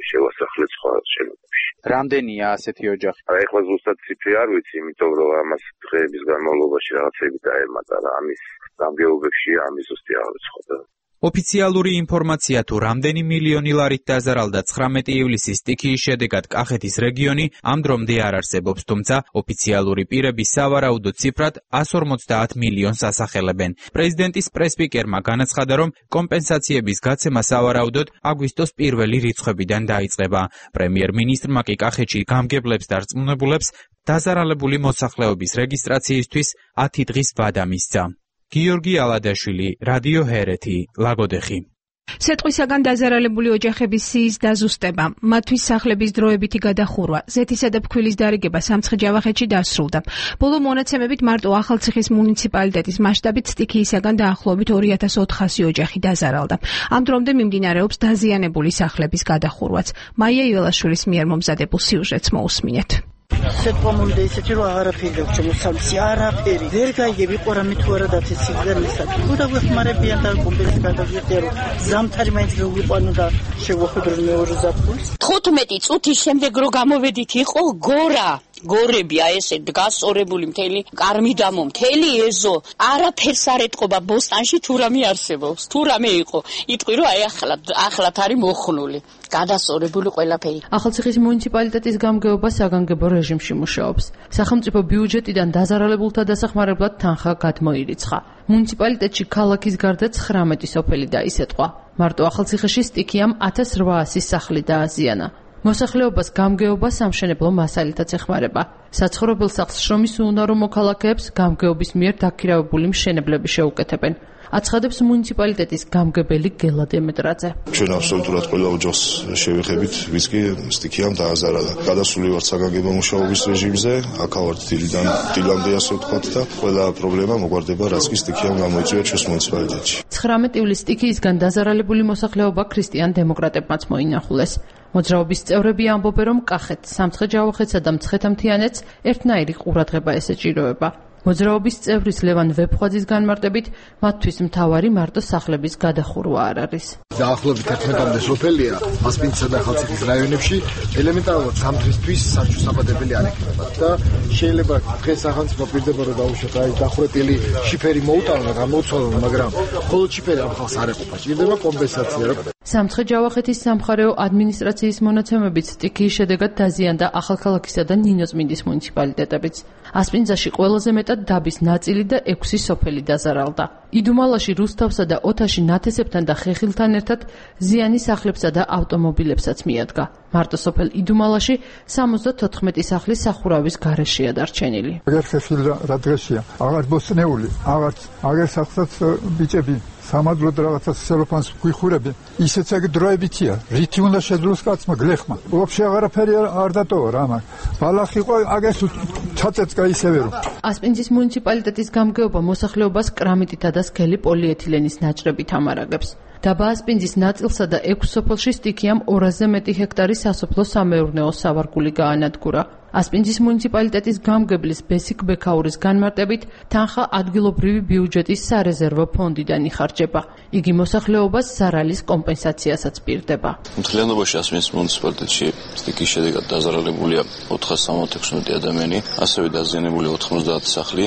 Speaker 19: შევასახლეთ სხვა შენობებში.
Speaker 13: რამდენია ასეთი ოჯახი?
Speaker 19: ეხლა ზუსტად ციფრი არ ვიცი, იმიტომ რომ ამას დღეების განმავლობაში რაღაცები დაემატა რა, ამის გამგეობებში ამის ზუსტი არ ვიცხოდა.
Speaker 13: ოფიციალური ინფორმაცია თუ რამდენი მილიონი ლარით დაზარალდა 19 ივლისის სტიქიის შედეგად კახეთის რეგიონი ამ დრომდე არ არსებობს, თუმცა ოფიციალური პირები სავარაუდო ციფრად 150 მილიონს ასახელებენ. პრეზიდენტის პრესპიკერმა განაცხადა, რომ კომპენსაციების გაცემა სავარაუდოდ აგვისტოს პირველი რიცხვებიდან დაიწყება. პრემიერ-მინისტრმა კი კახეთში გამგებლებს და რწმუნებულებს დაზარალებული მოსახლეობის რეგისტრაციისთვის 10 დღის ვადა მისცა. გიორგი ალადაშვილი, რადიო ჰერეთი, ლაგოდეხი.
Speaker 12: სეტყვისაგან დაზარალებული ოჯახების სიის დაზუსტება, მათთვის სახლების დროებითი გადახურვა, ზეთისა და ფქვილის დარიგება სამცხე-ჯავახეთში დასრულდა. ბოლო მონაცემებით მარტო ახალციხის მუნიციპალიტეტის მასშტაბით სტიქიისაგან დაახლოებით 2,400 ოჯახი დაზარალდა. ამ დრომდე მიმდინარეობს დაზიანებული სახლების გადახურვაც. მაია იველაშვილის მიერ მომზადებულ სიუჟეტს მოусმინეთ.
Speaker 20: სეტყვა მომდა ისეთი რომ აღარაფერი გაქვს შემოსავსი არაფერი ვერ გაიგები ყურამი თუ არა დათესიდან ისაკ თუ დაგვეხმარებიან და კომპენსაცია გადავიღია რომ ზამთარი მაინც ვიყვანო და შევახვედრო მეორე ზაფხულს
Speaker 21: 15 წუთის შემდეგ რო გამოვედით იყო გორები ესე გასწორებული მთელი კარმიდამო მთელი ეზო არაფერს არ ეტყობა ბოსტანში თუ რამე არსებობს თუ რამე იყო იტყვი რომ აი ახლად არის მოხნული გადასწორებული ყველაფერი.
Speaker 22: ახალციხის მუნიციპალიტეტის გამგეობა საგანგებო რეჟიმში მუშაობს. სახელმწიფო ბიუჯეტიდან დაზარალებულთა დასახმარებლად თანხა გადმოირიცხა. მუნიციპალიტეტში ქალაქის გარდა 19 სოფელი დაისეტყვა. მარტო ახალციხეში სტიქიამ 1800 სახლი დააზიანა. მოსახლეობას გამგეობა სამშენებლო მასალითაც ეხმარება. საცხოვრებელ სახლს შრომის უუნარო მოქალაქეებს გამგეობის მიერ დაქირავებული მშენებლები შეუკეთებენ. აცხადებს მუნიციპალიტეტის გამგებელი გელა დემეტრაძე.
Speaker 23: ჩვენ აბსოლუტურად ყველა ოჯახს შევეხებით, ვის კი სტიქიამ დააზარალა. გადასული ვართ საგანგებო მუშაობის რეჟიმზე, აქავართ დილამდე ასე ვთქვათ და ყველა პრობლემა მოგვარდება, რაც კი სტიქიამ გამოიწვია ჩვენს მუნიციპალიტეტში. 19 ივლისს სტიქიისგან დაზარალებული მოსახლეობა ქრისტიან დემოკრატებმაც მოინახულეს. მოძრაობის წევრები ამბობენ, რომ კახეთს, სამცხე-ჯავახეთსა და მცხეთა-მთიანეთს ერთნაირი ყურადღება ესეჭიროება.
Speaker 22: მოძრაობის წევრის ლევან ვეფხვაძის განმარტებით, მათთვის მთავარი მარტო სახლების გადახურვა არ არის.
Speaker 1: დაახლოებით 11-მდე სოფელია ასპინძისა და ხალციხის რაიონებში ელემენტარულად ზამთრისთვის სარჩოსაბადებელი არ იქნება და შეიძლება დღეს სახელმწიფო პირდება რომ დაუშვათ აი დახურეტილი შიფერი მოუტანა გამოუცვალონ, მაგრამ მხოლოდ შიფერი ამ ხალხს არ ეყოფა, ჭირდება კომპენსაცია.
Speaker 22: სამცხე-ჯავახეთის სამხარეო ადმინისტრაციის მონაცემებით სტიქიის შედეგად დაზიანდა ახალქალაქისა და ნინოწმინდის მუნიციპალიტეტებიც. ასპინძაში ყველაზე მეტად დაბის ნაწილი და 6 სოფელი დაზარალდა. იდუმალაში, რუსთავსა და ოთაში ნათესებთან და ხეხილთან ერთად ზიანი სახლებსა და ავტომობილებსაც მიადგა. მარტო სოფელ იდუმალაში 74 სახლი სახურავის გარეშეა დარჩენილი.
Speaker 3: აგერ ხეხილ რა დღეშია, აღარ ბოსნეული, აღარ სახსაც ბიჭები სამადლოდ რაღაცა სელოფანს გვიხურები, ისეც ეგ დროებითია. რითი უნდა შეძლოს კაცმა გლეხმა. ვაფშე აღარაფერი არ დატოვა რა მაგ. ბალახი ყო აგეს ჩაწეწკა ისევე რომ.
Speaker 22: ასპინძის მუნიციპალიტეტის გამგეობა მოსახლეობას კრამიტითა და სქელი პოლიეთილენის ნაჭრებით ამარაგებს. დაბა ასპინძის ნაწილსა და 6 სოფელში სტიქიამ 200-ზე მეტი ჰექტარი სასოფლო-სამეურნეო სავარგული გაანადგურა. ასპინძის მუნიციპალიტეტის გამგებლის ბესიკ ბექაურის განმარტებით, თანხა ადგილობრივი ბიუჯეტის სარეზერვო ფონდიდან იხარჯება. იგი მოსახლეობას ზარალის კომპენსაციასაც პირდება.
Speaker 8: მთლიანობაში ასპინძის მუნიციპალიტეტში სტიქიის შედეგად დაზარალებულია 466 ადამიანი, ასევე დაზიანებული 90 სახლი,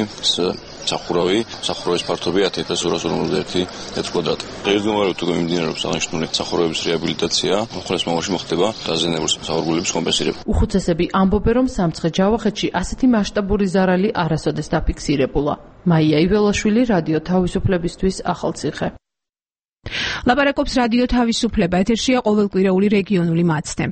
Speaker 8: სახურავის ფართობი 10241 მ2 კვადრატი. დღესდღეობით უკვე მიმდინარეობს აღნიშნული სახურავების რეაბილიტაცია, უხლეს მომავალში მოხდება დაზიანებული სავარგულების კომპენსირება.
Speaker 22: უხუცესები ამბობენ, რომ სამცხე-ჯავახეთში ასეთი მასშტაბური ზარალი არასოდეს დაფიქსირებულა. მაია იველაშვილი, რადიო თავისუფლებისთვის, ახალციხე.
Speaker 12: ლაპარაკობს რადიო თავისუფლება, ეთერშია ყოველკვირეული რეგიონული მაცდე.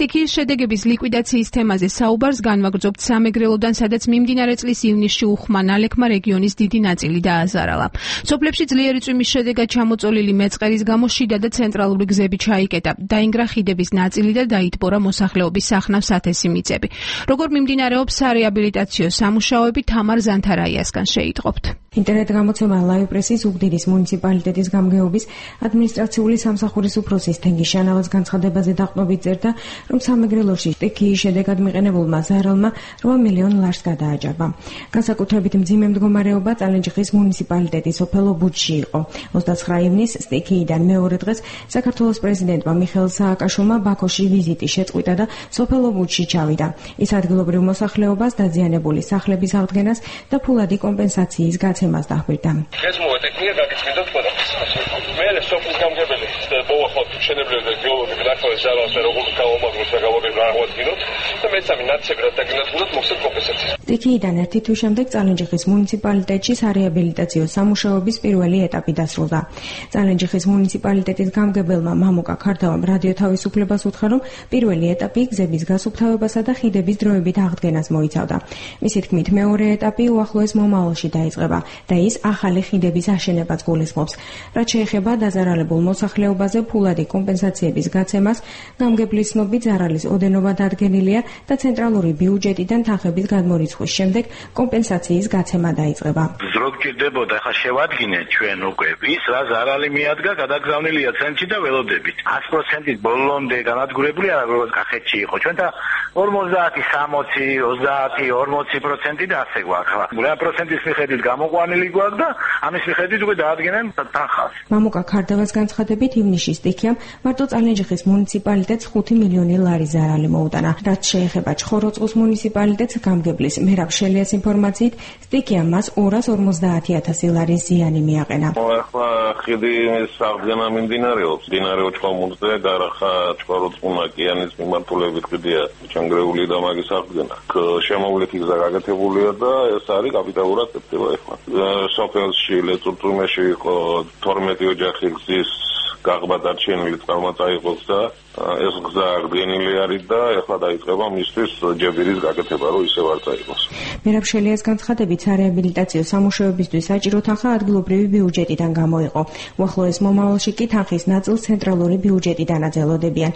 Speaker 12: სტიქიის შედეგების ლიკვიდაციის თემაზე საუბარს განვაგრძობთ სამეგრელოდან, სადაც მიმდინარე წლის ივნისში უხმა ნალექმა რეგიონის დიდი ნაწილი დააზარალა. სოფლებში ძლიერი წვიმის შედეგად ჩამოწოლილი მეწყერის გამო შიდა და ცენტრალური გზები ჩაიკეტა, დაინგრა ხიდების ნაწილი და დაიტბორა მოსახლეობის სახნავ-სათესი მიწები. როგორ მიმდინარეობს სარეაბილიტაციო სამუშაოები, თამარ ზანთარაიასგან შეიტყობთ.
Speaker 24: ინტერნეტ გამოცემა ლაივ პრესის ზუგდიდის მუნიციპალიტეტის გამგეობის ადმინისტრაციული სამსახურის უფროსის თენგის შანავალს განცხადებაზე დაყრდნობით წერდა, რომ სამეგრელოში სტიქიის შედეგად მიყენებულმა ზარალმა 8 მილიონ ლარს გადააჭარბა. განსაკუთრებით მძიმე მდგომარეობა წალენჯიხის მუნიციპალიტეტის სოფელ ობუჯში იყო. 29 ივნისს სტიქიიდან მეორე დღეს საქართველოს პრეზიდენტმა მიხეილ სააკაშვილმა ბაქოში ვიზიტი შეწყვიტა და სოფელ ობუჯში ჩავიდა. ის ადგილობრივ მოსახლეობას დაზიანებული სახლების აღდგენას და ფულადი კომპენსაციის გაცემას დაჰყვირდა.
Speaker 25: ეს მოეთქნია გაგიჩნდა ყველაფერს. მე სოფლის გამგებელი მოვახოთ მშენებლები და გეოლოგები ნახავენ ზარალს და როგორ გამომაგროს და გავაგებინოთ და მეცამი ნაცებრად დაგინახულოთ მოხსეთ კომპენსაცია.
Speaker 24: სტიქიიდან ერთი თვის შემდეგ წალენჯიხის მუნიციპალიტეტში სარეაბილიტაციო სამუშაოების პირველი ეტაპი დასრულდა. წალენჯიხის მუნიციპალიტეტის გამგებელმა მამუკა ქარდავამ რადიო თავისუფლებას უთხრა, რომ პირველი ეტაპი გზების გასუფთავებასა და ხიდების დროებით აღდგენას მოიცავდა. მისი თქმით, მეორე ეტაპი უახლოეს მომავალში დაიწყება და ის ახალი ხიდების აშენებას გულისხმობს. რაც შეეხება დაზარალებულ მოსახლეობაზე ფულადი კომპენსაციების გაცემას, გამგებლის ცნობით ზარალის ოდენობა დადგენილია და ცენტრალური ბიუჯეტიდან თანხების გადმორიცხვის შემდეგ კომპენსაციის გაცემა დაიწყება.
Speaker 26: ზრო გჭირდებოდა, ხა შევადგინეთ ჩვენ უკვე ის რა ზარალი მიადგა, გადაგზავნილია ცენტრში და ველოდებით. 100%-ით ბოლომდე განადგურებული არა, როგორც კახეთში იყო. ჩვენ და 50, 60, 20, 40% და ასე გვაქვს. რა პროცენტის მიხედვით გამოყვანილი გვაქვს და ამის მიხედვით უკვე დაადგენენ თანხას.
Speaker 24: მამუკა ქარდავას განცხადებით, ივნისში სტიქიამ მარტო წალენჯიხის მუნიციპალიტეტს 5 მილიონი ლარი ზარალი მოუტანა. რაც შეეხება ჩხოროწყუს მუნიციპალიტეტს, გამგებლის მერაბ შელიას ინფორმაციით, სტიქიამ მას 250,000 ლარის ზიანი მიაყენა.
Speaker 25: ახლა ხიდის აღდგენა მიმდინარეობს. დინარე ოჩხომურზე გარახა ჩხოროწყუ-ნაკიანის მიმართულებით ხიდია ჩანგრეული და მაგის აღდგენა. შემოვლითი გზა გაკეთებულია და ეს არის კაპიტალურად წევა ახლა. სოფელში ლეწურწუმეში იყო 12 ოჯახი გზის გაღმა დარჩენილი წყალმაწაიღოს და ეს გზა აღდგენილი არის და ეხლა დაიწყება მისთვის ჯებირის გაკეთება, რომ ისევ არ წაიღოს.
Speaker 24: მერაბ შელიას განცხადებით, სარეაბილიტაციო სამუშაოებისთვის საჭირო თანხა ადგილობრივი ბიუჯეტიდან გამოიყო. უახლოეს მომავალში კი თანხის ნაწილს ცენტრალური ბიუჯეტიდან აძელოდებიან.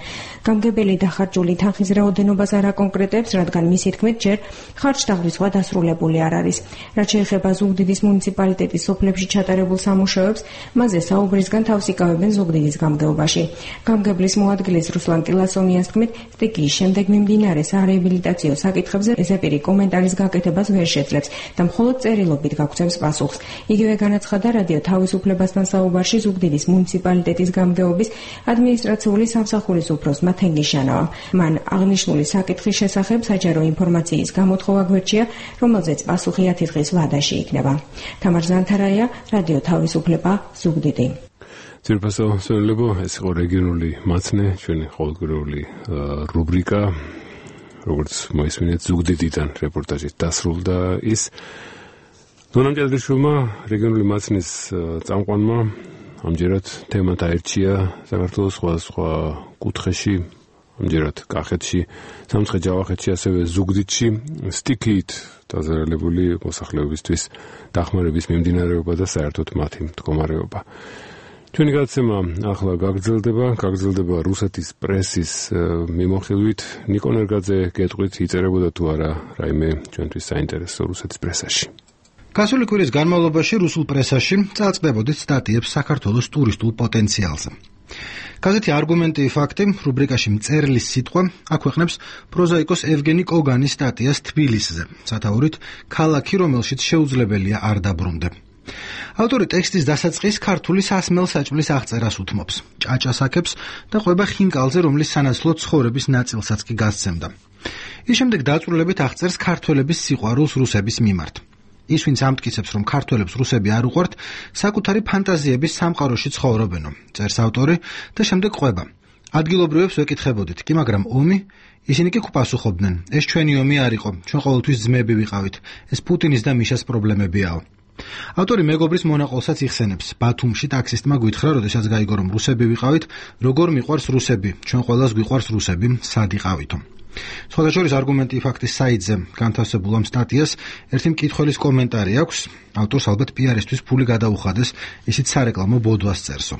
Speaker 24: გამგებელი დახარჯული თანხის რაოდენობას არ აკონკრეტებს, რადგან მისი თქმით, ჯერ ხარჯთაღრიცხვა დასრულებული არ არის. რაც შეეხება ზუგდიდის მუნიციპალიტეტის სოფლებში ჩატარებულ სამუშაოებს, მასზე საუბრისგან თავს იკავებენ ზუგდიდის გამგეობაში. გამგებლის მოადგილის ჟურნალისტის რუსლან ტილასონიანს თქმით, სტიქიის შემდეგ მიმდინარე სარეაბილიტაციო საკითხებზე ზეპირი კომენტარის გაკეთებას ვერ შეძლებს და მხოლოდ წერილობით გაგცემს პასუხს. იგივე განაცხადა რადიო თავისუფლებასთან საუბარში ზუგდიდის მუნიციპალიტეტის გამგეობის ადმინისტრაციული სამსახურის უფროსმა თენგიშანოვამ. მან აღნიშნული საკითხის შესახებ საჯარო ინფორმაციის გამოთხოვა გვერდშია, რომელზეც პასუხი 10 დღის ვადაში იქნება. თამარ ზანთარაია, რადიო თავისუფლება, ზუგდიდი.
Speaker 2: ძირფასო მსმენელებო, ეს იყო რეგიონული მაცნე, ჩვენი ყოველკვირეული რუბრიკა, როგორც მოისმინეთ, ზუგდიდიდან რეპორტაჟით დასრულდა ის. დონამ ჭადრიშვილმა, რეგიონული მაცნის წამყვანმა, ამჯერად თემად აერჩია საქართველოს სხვადასხვა კუთხეში, ამჯერად კახეთში, სამცხე-ჯავახეთში, ასევე ზუგდიდში, სტიქიით დაზარალებული მოსახლეობისთვის დახმარების მიმდინარეობა და საერთოდ მათი მდგომარეობა. ჩვენი გადაცემა ახლა გაგრძელდება რუსეთის პრესის მიმოხილვით. ნიკონ ერგაძე გეტყვით, იწერებოდა თუ არა რაიმე ჩვენთვის საინტერესო რუსეთის პრესაში.
Speaker 4: გასული კვირის განმავლობაში რუსულ პრესაში წაწყდებოდით სტატიებს საქართველოს ტურისტულ პოტენციალზე. გაზეთი არგუმენტი ფაქტი რუბრიკაში მწერლის სიტყვა აქვეყნებს პროზაიკოს ევგენი კოგანის სტატიას თბილისზე, სათაურით ქალაქი, რომელშიც შეუძლებელია არ დაბრუნდე. ავტორი ტექსტის დასაწყის ქართული სასმელ საჭმლის აღწერას უთმობს, ჭაჭას აკებს და ყვება ხინკალზე, რომლის სანაცვლო ცხოვრების ნაწილსაც კი გასცემდა. ის შემდეგ დაწვრილებით აღწერს ქართველების სიყვარულს რუსების მიმართ. ის, ვინც ამტკიცებს, რომ ქართველებს რუსები არ უყვართ, საკუთარი ფანტაზიების სამყაროში ცხოვრობენო, წერს ავტორი და შემდეგ ყვება. ადგილობრივებს ვეკითხებოდით, კი მაგრამ ომი? ისინი კი გვპასუხობდნენ, ეს ჩვენი ომი არ იყო, ჩვენ ყოველთვის ძმები ვიყავით, ეს პუტინის და მიშას პრობლემებიაო. ავტორი მეგობრის მონაყოლსაც იხსენებს. ბათუმში ტაქსისტმა გვითხრა, როდესაც გაიგო, რომ რუსები ვიყავით, როგორ მიყვარს რუსები, ჩვენ ყველას გვიყვარს რუსები, სად იყავითო. სხვადასხვა არგუმენტი ფაქტის საიტზე განთავსებულ ამ სტატიას ერთი მკითხველის კომენტარი აქვს. ავტორს ალბათ პიარისთვის ფული გადაუხადეს, ისიც სარეკლამო ბოდვას წერსო.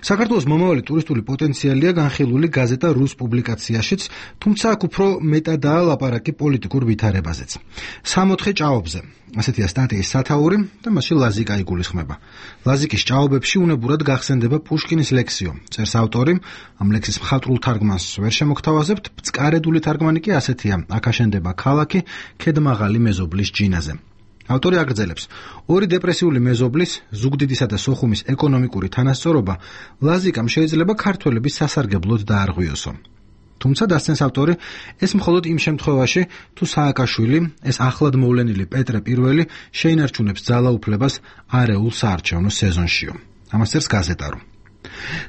Speaker 4: საქართველოს მომავალი ტურისტული პოტენციალია განხილული გაზეტა რუს პუბლიკაციაშიც, თუმცა აქ უფრო მეტადაა ლაპარაკი პოლიტიკურ ვითარებაზეც. 60 ჭაობზე. ასეთია სტატიის სათაური და მასში ლაზიკა იგულისხმება. ლაზიკის ჭაობებში უნებურად გახსენდება პუშკინის ლექსიო, წერს ავტორი, ამ ლექსის მხატვრულ თარგმანს ვერ შემოგთავაზებთ, ბწკარედული თარგმანი კი ასეთია: აქ აშენდება ქალაქი ქედმაღალი მეზობლის ჯინაზე. ავტორი აგრძელებს, ორი დეპრესიული მეზობლის, ზუგდიდისა და სოხუმის ეკონომიკური თანასწორობა ლაზიკამ შეიძლება ქართველების სასარგებლოდ დაარღვიოსო. თუმცა დასცენს ავტორი, ეს მხოლოდ იმ შემთხვევაში, თუ სააკაშვილი, ეს ახლად მოვლენილი პეტრე პირველი შეინარჩუნებს ძალაუფლებას არეულ საარჩევნო სეზონშიო. ამას წერს გაზეტარო.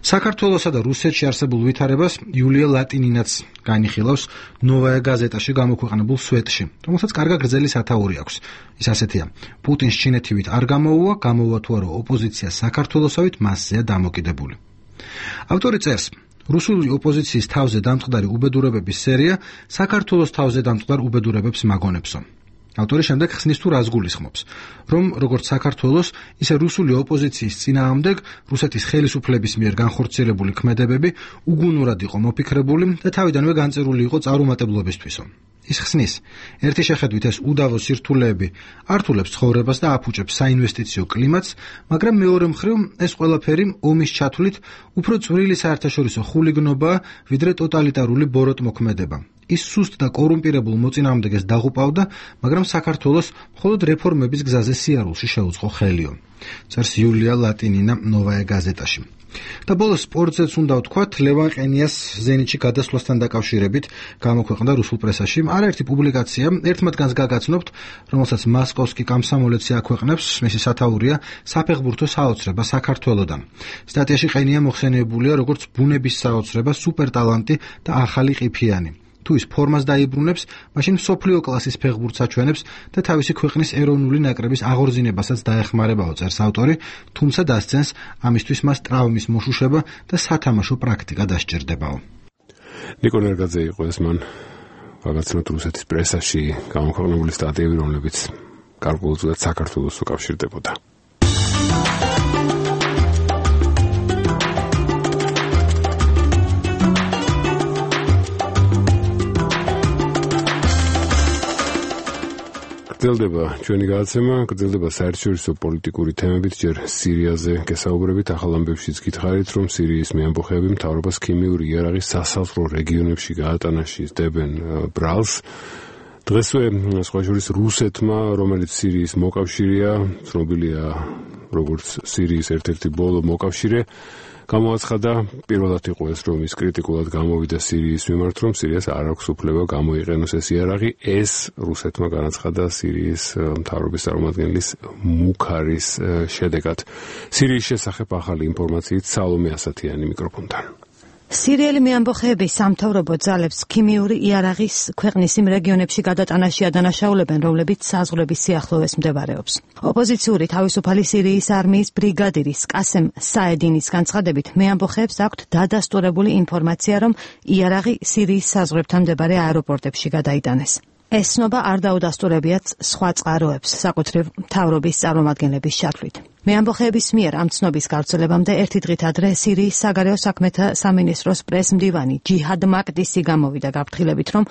Speaker 4: საქართველოსა და რუსეთში არსებულ ვითარებას იულია ლატინინაც განიხილავს ნოვაია გაზეტაში გამოქვეყნებულ სვეტში, რომელსაც კარგა გრძელი სათაური აქვს. ის ასეთია: პუტინს ჩინეთივით არ გამოუვა თუ არა ოპოზიცია საქართველოსავით მასზეა დამოკიდებული. ავტორი წერს, რუსული ოპოზიციის თავზე დამწყდარი უბედურებების სერია საქართველოს თავზე დამწყდარ უბედურებებს მაგონებსო. ავტორი შემდეგ ხსნის თუ რას გულისხმობს, რომ როგორც საქართველოს, ისე რუსული ოპოზიციის წინააღმდეგ რუსეთის ხელისუფლების მიერ განხორციელებული ქმედებები უგუნურად იყო მოფიქრებული და თავიდანვე განწერული იყო წარუმატებლობისთვისო. ის ხსნის, ერთი შეხედვით ეს უდავო სირთულეები ართულებს ცხოვრებას და აფუჭებს საინვესტიციო კლიმატს, მაგრამ მეორე მხრივ ეს ყველაფერი ომის ჩათვლით უფრო წვრილი საერთაშორისო ხულიგნობაა, ვიდრე ტოტალიტარული ბოროტმოქმედება. ის სუსტ და კორუმპირებულ მოწინააღმდეგეს დაღუპავდა, მაგრამ საქართველოს მხოლოდ რეფორმების გზაზე სიარულში შეუწყო ხელიო. წერს იულია ლატინინა ნოვაია გაზეტაში. და ბოლოს სპორტზეც უნდა ვთქვათ, ლევან ყენიას ზენიტში გადასვლასთან დაკავშირებით გამოქვეყნდა რუსულ პრესაში არაერთი პუბლიკაცია, ერთ მათგანს გაგაცნობთ, რომელსაც მასკოვსკი კომსომოლეცი აქვეყნებს, მისი სათაურია საფეხბურთო საოცრება საქართველოდან. სტატიაში ყენია მოხსენიებულია როგორც ბუნების საოცრება, სუპერთალანტი და ახალი ყიფიანი. თუ ის ფორმას დაიბრუნებს, მაშინ მსოფლიო კლასის ფეხბურთს აჩვენებს და თავისი ქვეყნის ეროვნული ნაკრების აღორძინებასაც დაეხმარებაო, წერს ავტორი, თუმცა დასცენს, ამისთვის მას ტრავმის მოშუშება და სათამაშო პრაქტიკა დასჭირდებაო.
Speaker 2: ნიკონ ერგაძე იყო ეს მან გაგაცნოთ რუსეთის პრესაში გამოქვეყნებული სტატიები, რომლებიც გარკვეულწილად საქართველოს უკავშირდებოდა. გრძელდება ჩვენი გადაცემა, გრძელდება საერთაშორისო პოლიტიკური თემებით, ჯერ სირიაზე გესაუბრებით, ახალ ამბებშიც გითხარით, რომ სირიის მეამბოხეები მთავრობას ქიმიური იარაღის სასაზღვრო რეგიონებში გაატანაში სდებენ ბრალს. დღესვე სხვა შორის რუსეთმა, რომელიც სირიის მოკავშირეა, ცნობილია როგორც სირიის ერთ-ერთი ბოლო მოკავშირე, გამოაცხადა, პირველად იყო ეს, რომ ის კრიტიკულად გამოვიდა სირიის მიმართ, რომ სირიას არ აქვს უფლება გამოიყენოს ეს იარაღი. ეს რუსეთმა განაცხადა სირიის მთავრობის წარმომადგენლის მუქარის შედეგად. სირიის შესახებ ახალი ინფორმაციით სალომე ასათიანი მიკროფონთან.
Speaker 5: სირიელი მეამბოხეები სამთავრობო ძალებს ქიმიური იარაღის ქვეყნის იმ რეგიონებში გადატანაში ადანაშაულებენ, რომლებიც საზღვრების სიახლოვეს მდებარეობს. ოპოზიციური თავისუფალი სირიის არმიის ბრიგადირის კასემ საედინის განცხადებით, მეამბოხეებს აქვთ დადასტურებული ინფორმაცია, რომ იარაღი სირიის საზღვრებთან მდებარე აეროპორტებში გადაიტანეს. ეს ცნობა არ დაუდასტურებიათ სხვა წყაროებს, საკუთრივ მთავრობის წარმომადგენლების ჩათვლით. მეამბოხეების მიერ ამ ცნობის გავრცელებამდე ერთი დღით ადრე სირიის საგარეო საქმეთა სამინისტროს პრესმდივანი ჯიჰად მაკდისი გამოვიდა გაფრთხილებით, რომ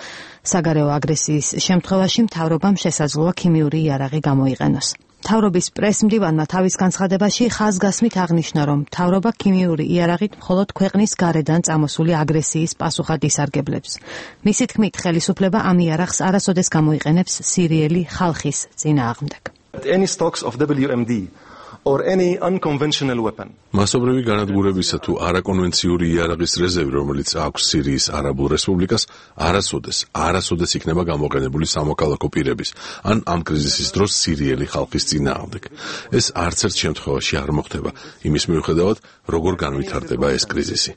Speaker 5: საგარეო აგრესიის შემთხვევაში მთავრობამ შესაძლოა ქიმიური იარაღი გამოიყენოს. მთავრობის პრესმდივანმა თავის განცხადებაში ხაზგასმით აღნიშნა, რომ მთავრობა ქიმიური იარაღით მხოლოდ ქვეყნის გარედან წამოსული აგრესიის პასუხად ისარგებლებს. მისი თქმით, ხელისუფლება ამ იარაღს არასოდეს გამოიყენებს სირიელი ხალხის წინააღმდეგ.
Speaker 7: or any unconventional weapon.
Speaker 9: მასობრივი განადგურებისა თუ არაკონვენციური იარაღის რეზერვი, რომელიც აქვს სირიის არაბულ რესპუბლიკას, არასოდეს იქნება გამოყენებული სამოქალაქო პირების ან ამ კრიზისის დროს სირიელი ხალხის წინააღმდეგ. ეს არც ერთ შემთხვევაში არ მოხდება, იმის მიუხედავად, როგორ განვითარდება ეს კრიზისი.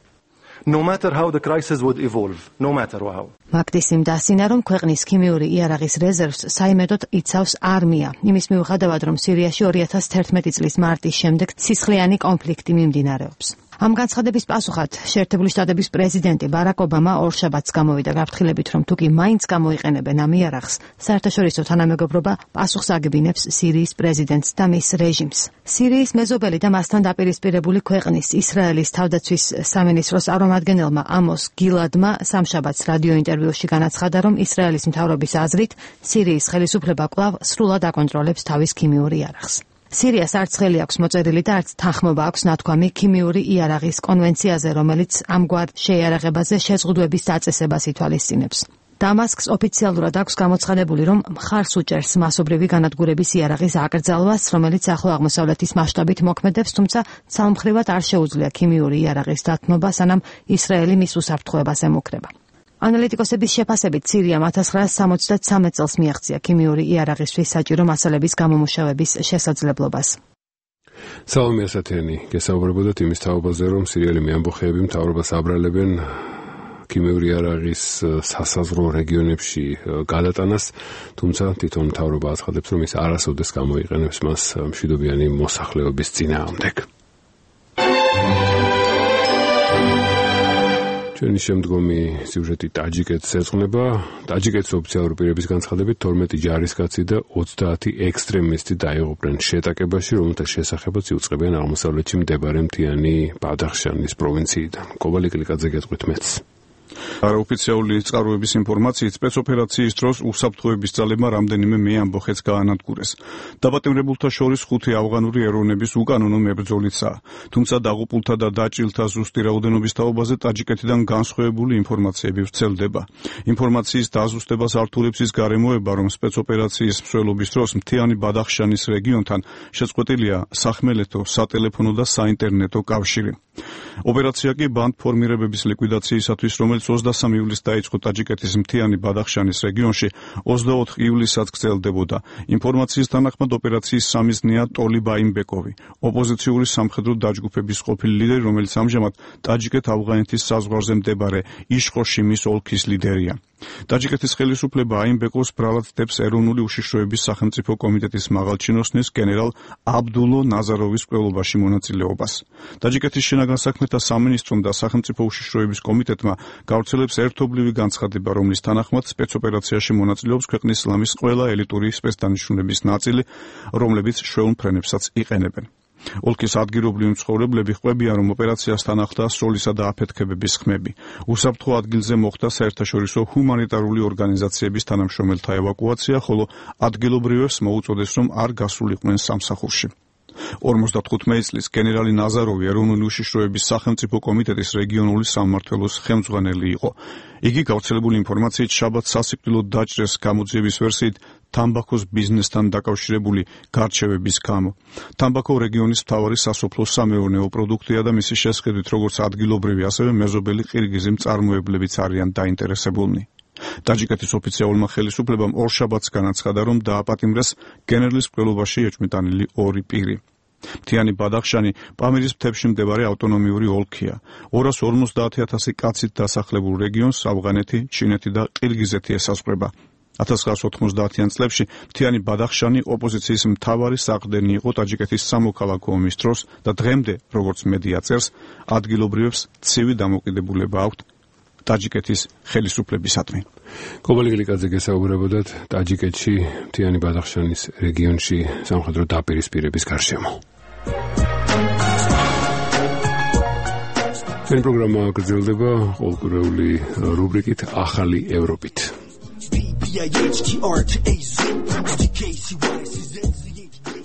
Speaker 7: No matter how the crisis would evolve, no matter how.
Speaker 5: მაკდისიმ დასინა, რომ ქვეყნის ქიმიური იარაღის რეზერვს საიმედოდ იცავს არმია. იმის მიუხედავად, რომ სირიაში 2011 წლის მარტის შემდეგ სისხლიანი კონფლიქტი მიმდინარეობს. ამ განცხადების პასუხად შეერთებული შტატების პრეზიდენტი ბარაკ ობამა ორშაბათს გამოვიდა გაფრთხილებით, რომ თუკი მაინც გამოიყენებენ ამ იარაღს, საერთაშორისო თანამეგობრობა პასუხს აგებინებს სირიის პრეზიდენტს და მის რეჟიმს. სირიის მეზობელი და მასთან დაპირისპირებული ქვეყნის ისრაელის თავდაცვის სამინისტროს წარმომადგენელმა ამოს გილადმა სამშაბათს რადიო ინტერვიუში განაცხადა, რომ ისრაელის მთავრობის აზრით სირიის ხელისუფლება კვლავ სრულად აკონტროლებს თავის ქიმიურ იარაღს. სირიას არც ხელი აქვს მოწერილი და არც თანხმობა აქვს ნათქვამი ქიმიური იარაღის კონვენციაზე, რომელიც ამგვარ შეიარაღებაზე შეზღუდვების დაწესებას ითვალისწინებს. დამასკს ოფიციალურად აქვს გამოცხადებული, რომ მხარს უჭერს მასობრივი განადგურების იარაღის აკრძალვას, რომელიც ახლო აღმოსავლეთის მასშტაბით მოქმედებს, თუმცა ცალმხრივად არ შეუძლია ქიმიური იარაღის დათმობა, სანამ ისრაელი მის უსაფრთხოებას ემუქრება. ანალიტიკოსების შეფასებით, სირიამ 1973 წელს მიაღწია ქიმიური იარაღისთვის საჭირო მასალების გამომუშავების შესაძლებლობას.
Speaker 2: სალომე ასათიანი გესაუბრებოდათ იმის თაობაზე, რომ სირიელი მეამბოხეები მთავრობას აბრალებენ ქიმიური იარაღის სასაზღვრო რეგიონებში გადატანას, თუმცა თვითონ მთავრობა აცხადებს, რომ ის არასოდეს გამოიყენებს მას მშვიდობიანი მოსახლეობის წინააღმდეგ. ჩვენი შემდგომი სიუჟეტი ტაჯიკეთს ეძღვნება. ტაჯიკეთის ოფიციალური პირების განცხადებით 12 ჯარისკაცი და 30 ექსტრემისტი დაიღუპნენ შეტაკებაში, რომელთა შესახებაც იუწყებიან აღმოსავლეთში მდებარე მთიანი ბადახშანის პროვინციიდან. კობალე კლიკაძე გეტყვით მეც.
Speaker 10: არაოფიციალური წყაროების ინფორმაციით, სპეცოპერაციის დროს უსაფრთხოების ძალებმა რამდენიმე მეამბოხეთს გაანადგურეს. დაბატიმრებულთა შორის 5 ავღანური ეროვნების უკანონო მებრძოლიცაა. თუმცა დაღუპულთა და დაჭრილთა ზუსტი რაოდენობის თაობაზე ტაჯიკეთიდან განსხვავებული ინფორმაციები ვრცელდება. ინფორმაციის დაზუსტებას ართულებს ის გარემოება, რომ სპეცოპერაციის მსვლელობის დროს მთიანი ბადახშანის რეგიონთან შეწყვეტილია სახმელეთო, სატელეფონო და საინტერნეტო კავშირი. ოპერაცია კი ბანდ ფორმირებების ლიკვიდაციისათვის, რომელიც 23 ივლისს დაიწყო ტაჯიკეთის მთიანი ბადახშანის რეგიონში, 24 ივლისსაც გრძელდებოდა. ინფორმაციის თანახმად ოპერაციის სამიზნეა ტოლი ბაიმბეკოვი, ოპოზიციური სამხედრო დაჯგუფების ყოფილი ლიდერი, რომელიც ამჟამად ტაჯიკეთ-ავღანეთის საზღვარზე მდებარე იშხოშიმის ოლქის ლიდერია. ტაჯიკეთის ხელისუფლება აიმბეკოვს ბრალად დებს ეროვნული უშიშროების სახელმწიფო კომიტეტის მაღალჩინოსნის გენერალ აბდულო ნაზაროვის კვლევობაში მონაწილეობას. ტაჯიკეთის შინაგან საქმეთა სამინისტრომ და სახელმწიფო უშიშროების კომიტეტმა გავრცელებს ერთობლივი განცხადება, რომლის თანახმად სპეცოპერაციაში მონაწილეობს ქვეყნის ისლამის ყველა ელიტური სპეცდანიშნულების ნაწილი, რომლებიც შვეულ ფრენებსაც იყენებენ. ოლქის ადგილობრივი მცხოვრებლები ყვებიან, რომ ოპერაციასთან ახლდა სროლისა და აფეთქებების ხმები. უსაფრთხო ადგილზე მოხდა საერთაშორისო ჰუმანიტარული ორგანიზაციების თანამშრომელთა ევაკუაცია, ხოლო ადგილობრივებს მოუწოდეს, რომ არ გასულიყვნენ სამსახურში. 55 წლის გენერალი ნაზაროვი ეროვნული უშიშროების სახელმწიფო კომიტეტის რეგიონული სამმართველოს ხელმძღვანელი იყო. იგი გავრცელებული ინფორმაციით შაბათს სასიკვდილოდ დაჭრეს გამოძიების ვერსიით თამბაქოს ბიზნესთან დაკავშირებული გარჩევების გამო. თამბაქო რეგიონის მთავარი სასოფლო-სამეურნეო პროდუქტია და მისი შესყიდვით როგორც ადგილობრივი, ასევე მეზობელი ყირგიზი მწარმოებლებიც არიან დაინტერესებულნი. ტაჯიკეთის ოფიციალურმა ხელისუფლებამ ორშაბათს განაცხადა, რომ დააპატიმრეს გენერლის მკვლელობაში ეჭვმიტანილი 2 პირი. მთიანი ბადახშანი პამირის მთებში მდებარე ავტონომიური ოლქია. 250,000 კაცით დასახლებულ რეგიონს ავღანეთი, ჩინეთი და ყირგიზეთი ესაზღვრება. 1990-იან წლებში მთიანი ბადახშანი ოპოზიციის მთავარი საყრდენი იყო ტაჯიკეთის სამოქალაქო ომის დროს და დღემდე, როგორც მედია წერს, ადგილობრივებს ცივი დამოკიდებულება აქვთ ტაჯიკეთის ხელისუფლებისადმი.
Speaker 2: კობალი გლიკაძე გესაუბრებოდათ ტაჯიკეთში მთიანი ბადახშანის რეგიონში სამხედრო დაპირისპირების გარშემო. ჩვენი პროგრამა გრძელდება ყოველკვირეული რუბრიკით ახალი ევროპით.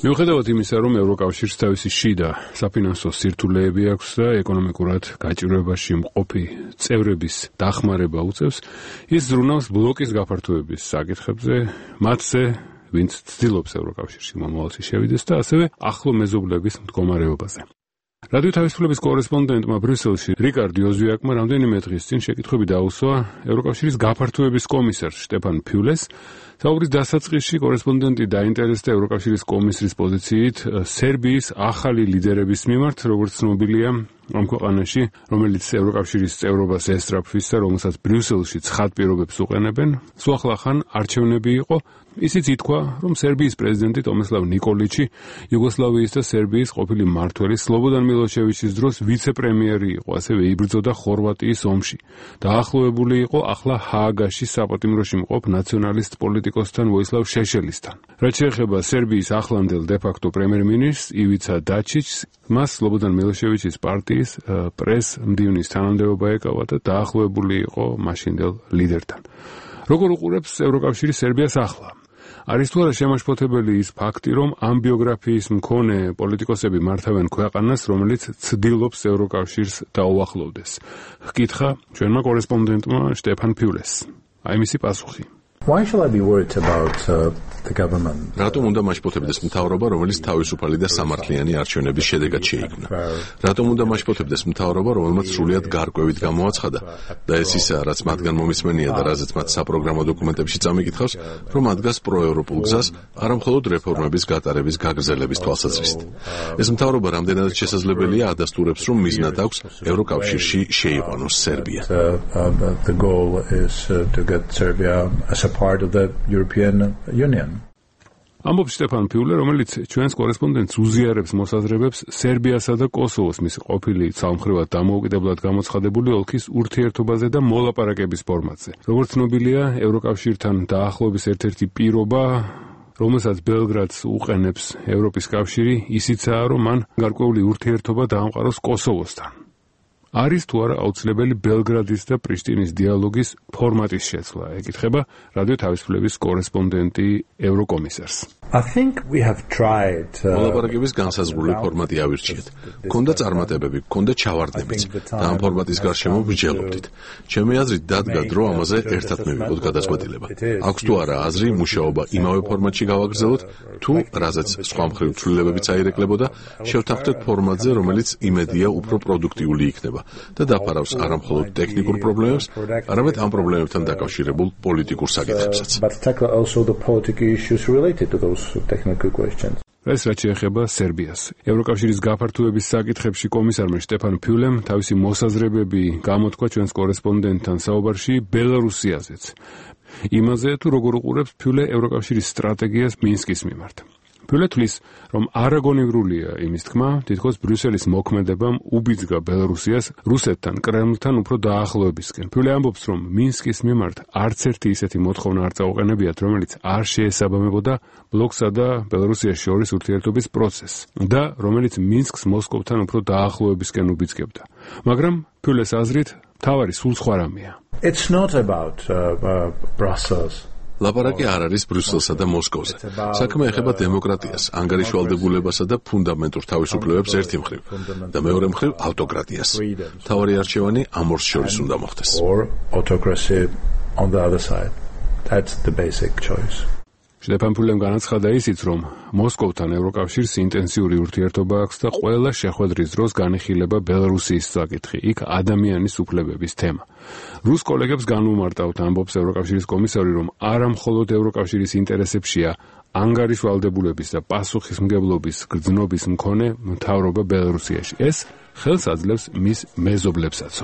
Speaker 2: მიუხედავად იმისა, რომ ევროკავშირს თავისი შიდა საფინანსო სირთულეები აქვს და ეკონომიკურად გაჭირვებაში მყოფი წევრების დახმარება უწევს, ის ზრუნავს ბლოკის გაფართოების საკითხებზე, მათზე, ვინც ცდილობს ევროკავშირში მომავალში შევიდეს და ასევე ახლო მეზობლების მდგომარეობაზე. რადიო თავისუფლების კორესპონდენტმა ბრიუსელში რიკარდ იოზვიაკმა რამდენიმე დღის წინ შეკითხვები დაუსვა ევროკავშირის გაფართოების კომისარს შტეფან ფიულეს. საუბრის დასაწყისში კორესპონდენტი დაინტერესდა ევროკავშირის კომისრის პოზიციით სერბიის ახალი ლიდერების მიმართ, როგორც ცნობილია ამ ქვეყანაში, რომელიც ევროკავშირის წევრობას ესწრაფვის და რომელსაც ბრიუსელში ცხად პირობებს უყენებენ, სუახლახან არჩევნები იყო. ისიც ითქვა, რომ სერბიის პრეზიდენტი ტომისლავ ნიკოლიჩი იუგოსლავიის და სერბიის ყოფილი მმართველი სლობოდან მილოშევიჩის დროს ვიცე-პრემიერი იყო, ასევე იბრძოდა ხორვატიის ომში. დაახლოებული იყო ახლა ჰააგაში საპატიმროში მყოფ ნაციონალისტ პოლიტიკოსთან ვოისლავ შეშელისთან. რაც შეეხება სერბიის ახლანდელ დე-ფაქტო პრემიერ-მინისტრს ივიცა დაჩიჩს, მას სლობოდან მილოშევიჩის პარტიის პრეს-მდივნის თანამდებობა ეკავა და დაახლოებული იყო მაშინდელ ლიდერთან. როგორ უყურებს ევროკავშირი სერბიას ახლა? არის თუ არა შემაშფოთებელი ის ფაქტი, რომ ამ ბიოგრაფიის მქონე პოლიტიკოსები მართავენ ქვეყანას, რომელიც ცდილობს ევროკავშირს დაუახლოვდეს? ჰკითხა ჩვენმა კორესპონდენტმა შტეფან ფიულეს. აი მისი პასუხი.
Speaker 6: Why shall I be worried about the government?
Speaker 9: რატომ უნდა მაშფოთებდეს მთავრობა, რომელიც თავისუფალი და სამართლიანი არჩევნების შედეგად შეიქმნა? რატომ უნდა მაშფოთებდეს მთავრობა, რომელმაც სრულიად გარკვევით გამოაცხადა და ეს ისაა, რაც მათგან მომისმენია და რაზეც მათ საპროგრამო დოკუმენტებში წამიკითხავს, რომ ადგას პროევროპულ გზას, არა მხოლოდ რეფორმების გატარების გაგრძელების თვალსაზრისით. ეს მთავრობა რამდენადაც შესაძლებელია ადასტურებს, რომ მიზნად აქვს ევროკავშირში შეიყვანოს სერბია.
Speaker 6: The goal is to get Serbia as a part of the European Union.
Speaker 2: ამბობს შტეფან ფიულე, რომელიც ჩვენს კორესპონდენტს უზიარებს მოსაზრებებს სერბიასა და კოსოვოს მისი ყოფილი ცალმხრივად დამოუკიდებლად გამოცხადებული ოლქის ურთიერთობაზე და მოლაპარაკების ფორმატზე. როგორც ცნობილია, ევროკავშირთან დაახლოების ერთ-ერთი პირობა, რომელსაც ბელგრადს უყენებს ევროპის კავშირი, ისიცაა, რომ მან გარკვეული ურთიერთობა დაამყაროს კოსოვოსთან. არის თუ არა აუცილებელი ბელგრადის და პრიშტინის დიალოგის ფორმატის შეცვლა? ეკითხება რადიო თავისუფლების კორესპონდენტი ევროკომისარს.
Speaker 6: I think we have tried
Speaker 9: მოლაპარაკების განსაზღვრული ფორმატი ავირჩიეთ. ქონდა წარმატებები, ქონდა ჩავარდნებიც და ამ ფორმატის გარშემო ვიჯელობდით. ჩემი აზრით დადგა დრო ამაზე ერთად მივიღოთ გადაწყვეტილება. აქვს თუ არა აზრი მუშაობა იმავე ფორმატში გავაგრძელოთ, თუ რაზეც სხვა მხრივ ცვლილებებიც აირეკლებოდა, შევთანხმდეთ ფორმატზე, რომელიც იმედია უფრო პროდუქტიული იქნება და დაფარავს არა მხოლოდ ტექნიკურ პრობლემებს, არამედ ამ პრობლემებთან დაკავშირებულ პოლიტიკურ საკითხებსაც. ეს რაც შეეხება სერბიას. ევროკავშირის გაფართოების საკითხებში კომისარმა შტეფან ფიულემ თავისი მოსაზრებები გამოთქვა ჩვენს კორესპონდენტთან საუბარში ბელარუსიაზეც. იმაზე თუ როგორ უყურებს ფიულე ევროკავშირის სტრატეგიას მინსკის მიმართ.
Speaker 2: Ფიულე თვლის, რომ არაგონივრულია იმის თქმა, თითქოს ბრიუსელის მოქმედებამ უბიძგა ბელარუსიას რუსეთთან, კრემლთან უფრო დაახლოებისკენ. ფიულე ამბობს, რომ მინსკის მიმართ არც ერთი ისეთი მოთხოვნა არ წაუყენებიათ, რომელიც არ შეესაბამებოდა ბლოკსა და ბელარუსიას შორის ურთიერთობის პროცესს და რომელიც მინსკს მოსკოვთან უფრო დაახლოებისკენ უბიძგებდა. მაგრამ ფიულეს აზრით, თავარი სულ სხვა რამეა.
Speaker 6: It's not about Brussels.
Speaker 9: ლაპარაკი არ არის ბრიუსელსა და მოსკოვზე. საქმე ეხება დემოკრატიას, ანგარიშვალდებულებასა და ფუნდამენტურ თავისუფლებებს ერთი მხრივ და მეორე მხრივ ავტოკრატიას. თავარი არჩევანი ამ ორს შორის უნდა მოხდეს.
Speaker 6: Or autocracy on the other side. That's the basic choice.
Speaker 2: შედეფანფულემ განაცხადა ისიც, რომ მოსკოვთან ევროკავშირს ინტენსიური ურთიერთობა აქვს და ყველა შეხვედრის დროს განიხილება ბელარუსიის საკითხი, იქ ადამიანის უფლებების თემა. რუს კოლეგებს განუმარტავთ, ამბობს ევროკავშირის კომისარი, რომ არა მხოლოდ ევროკავშირის ინტერესებშია ანგარიშვალდებულების და პასუხისმგებლობის გრძნობის მქონე მთავრობა ბელარუსიაში. ეს ხელს აძლევს მის მეზობლებსაც.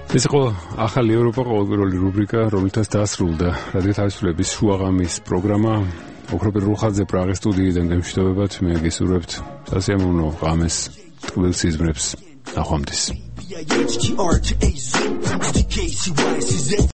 Speaker 2: ეს იყო ახალი ევროპა ყოველკვირეული რუბრიკა, რომელთაც დასრულდა რადიო თავისუფლების შუაღამის პროგრამა. ოქროპირ რუხაძე პრაღის სტუდიიდან გემშვიდობებათ, მე გისურვებთ სასიამოვნო ღამეს, ტკბილ სიზმრებს, ნახვამდის.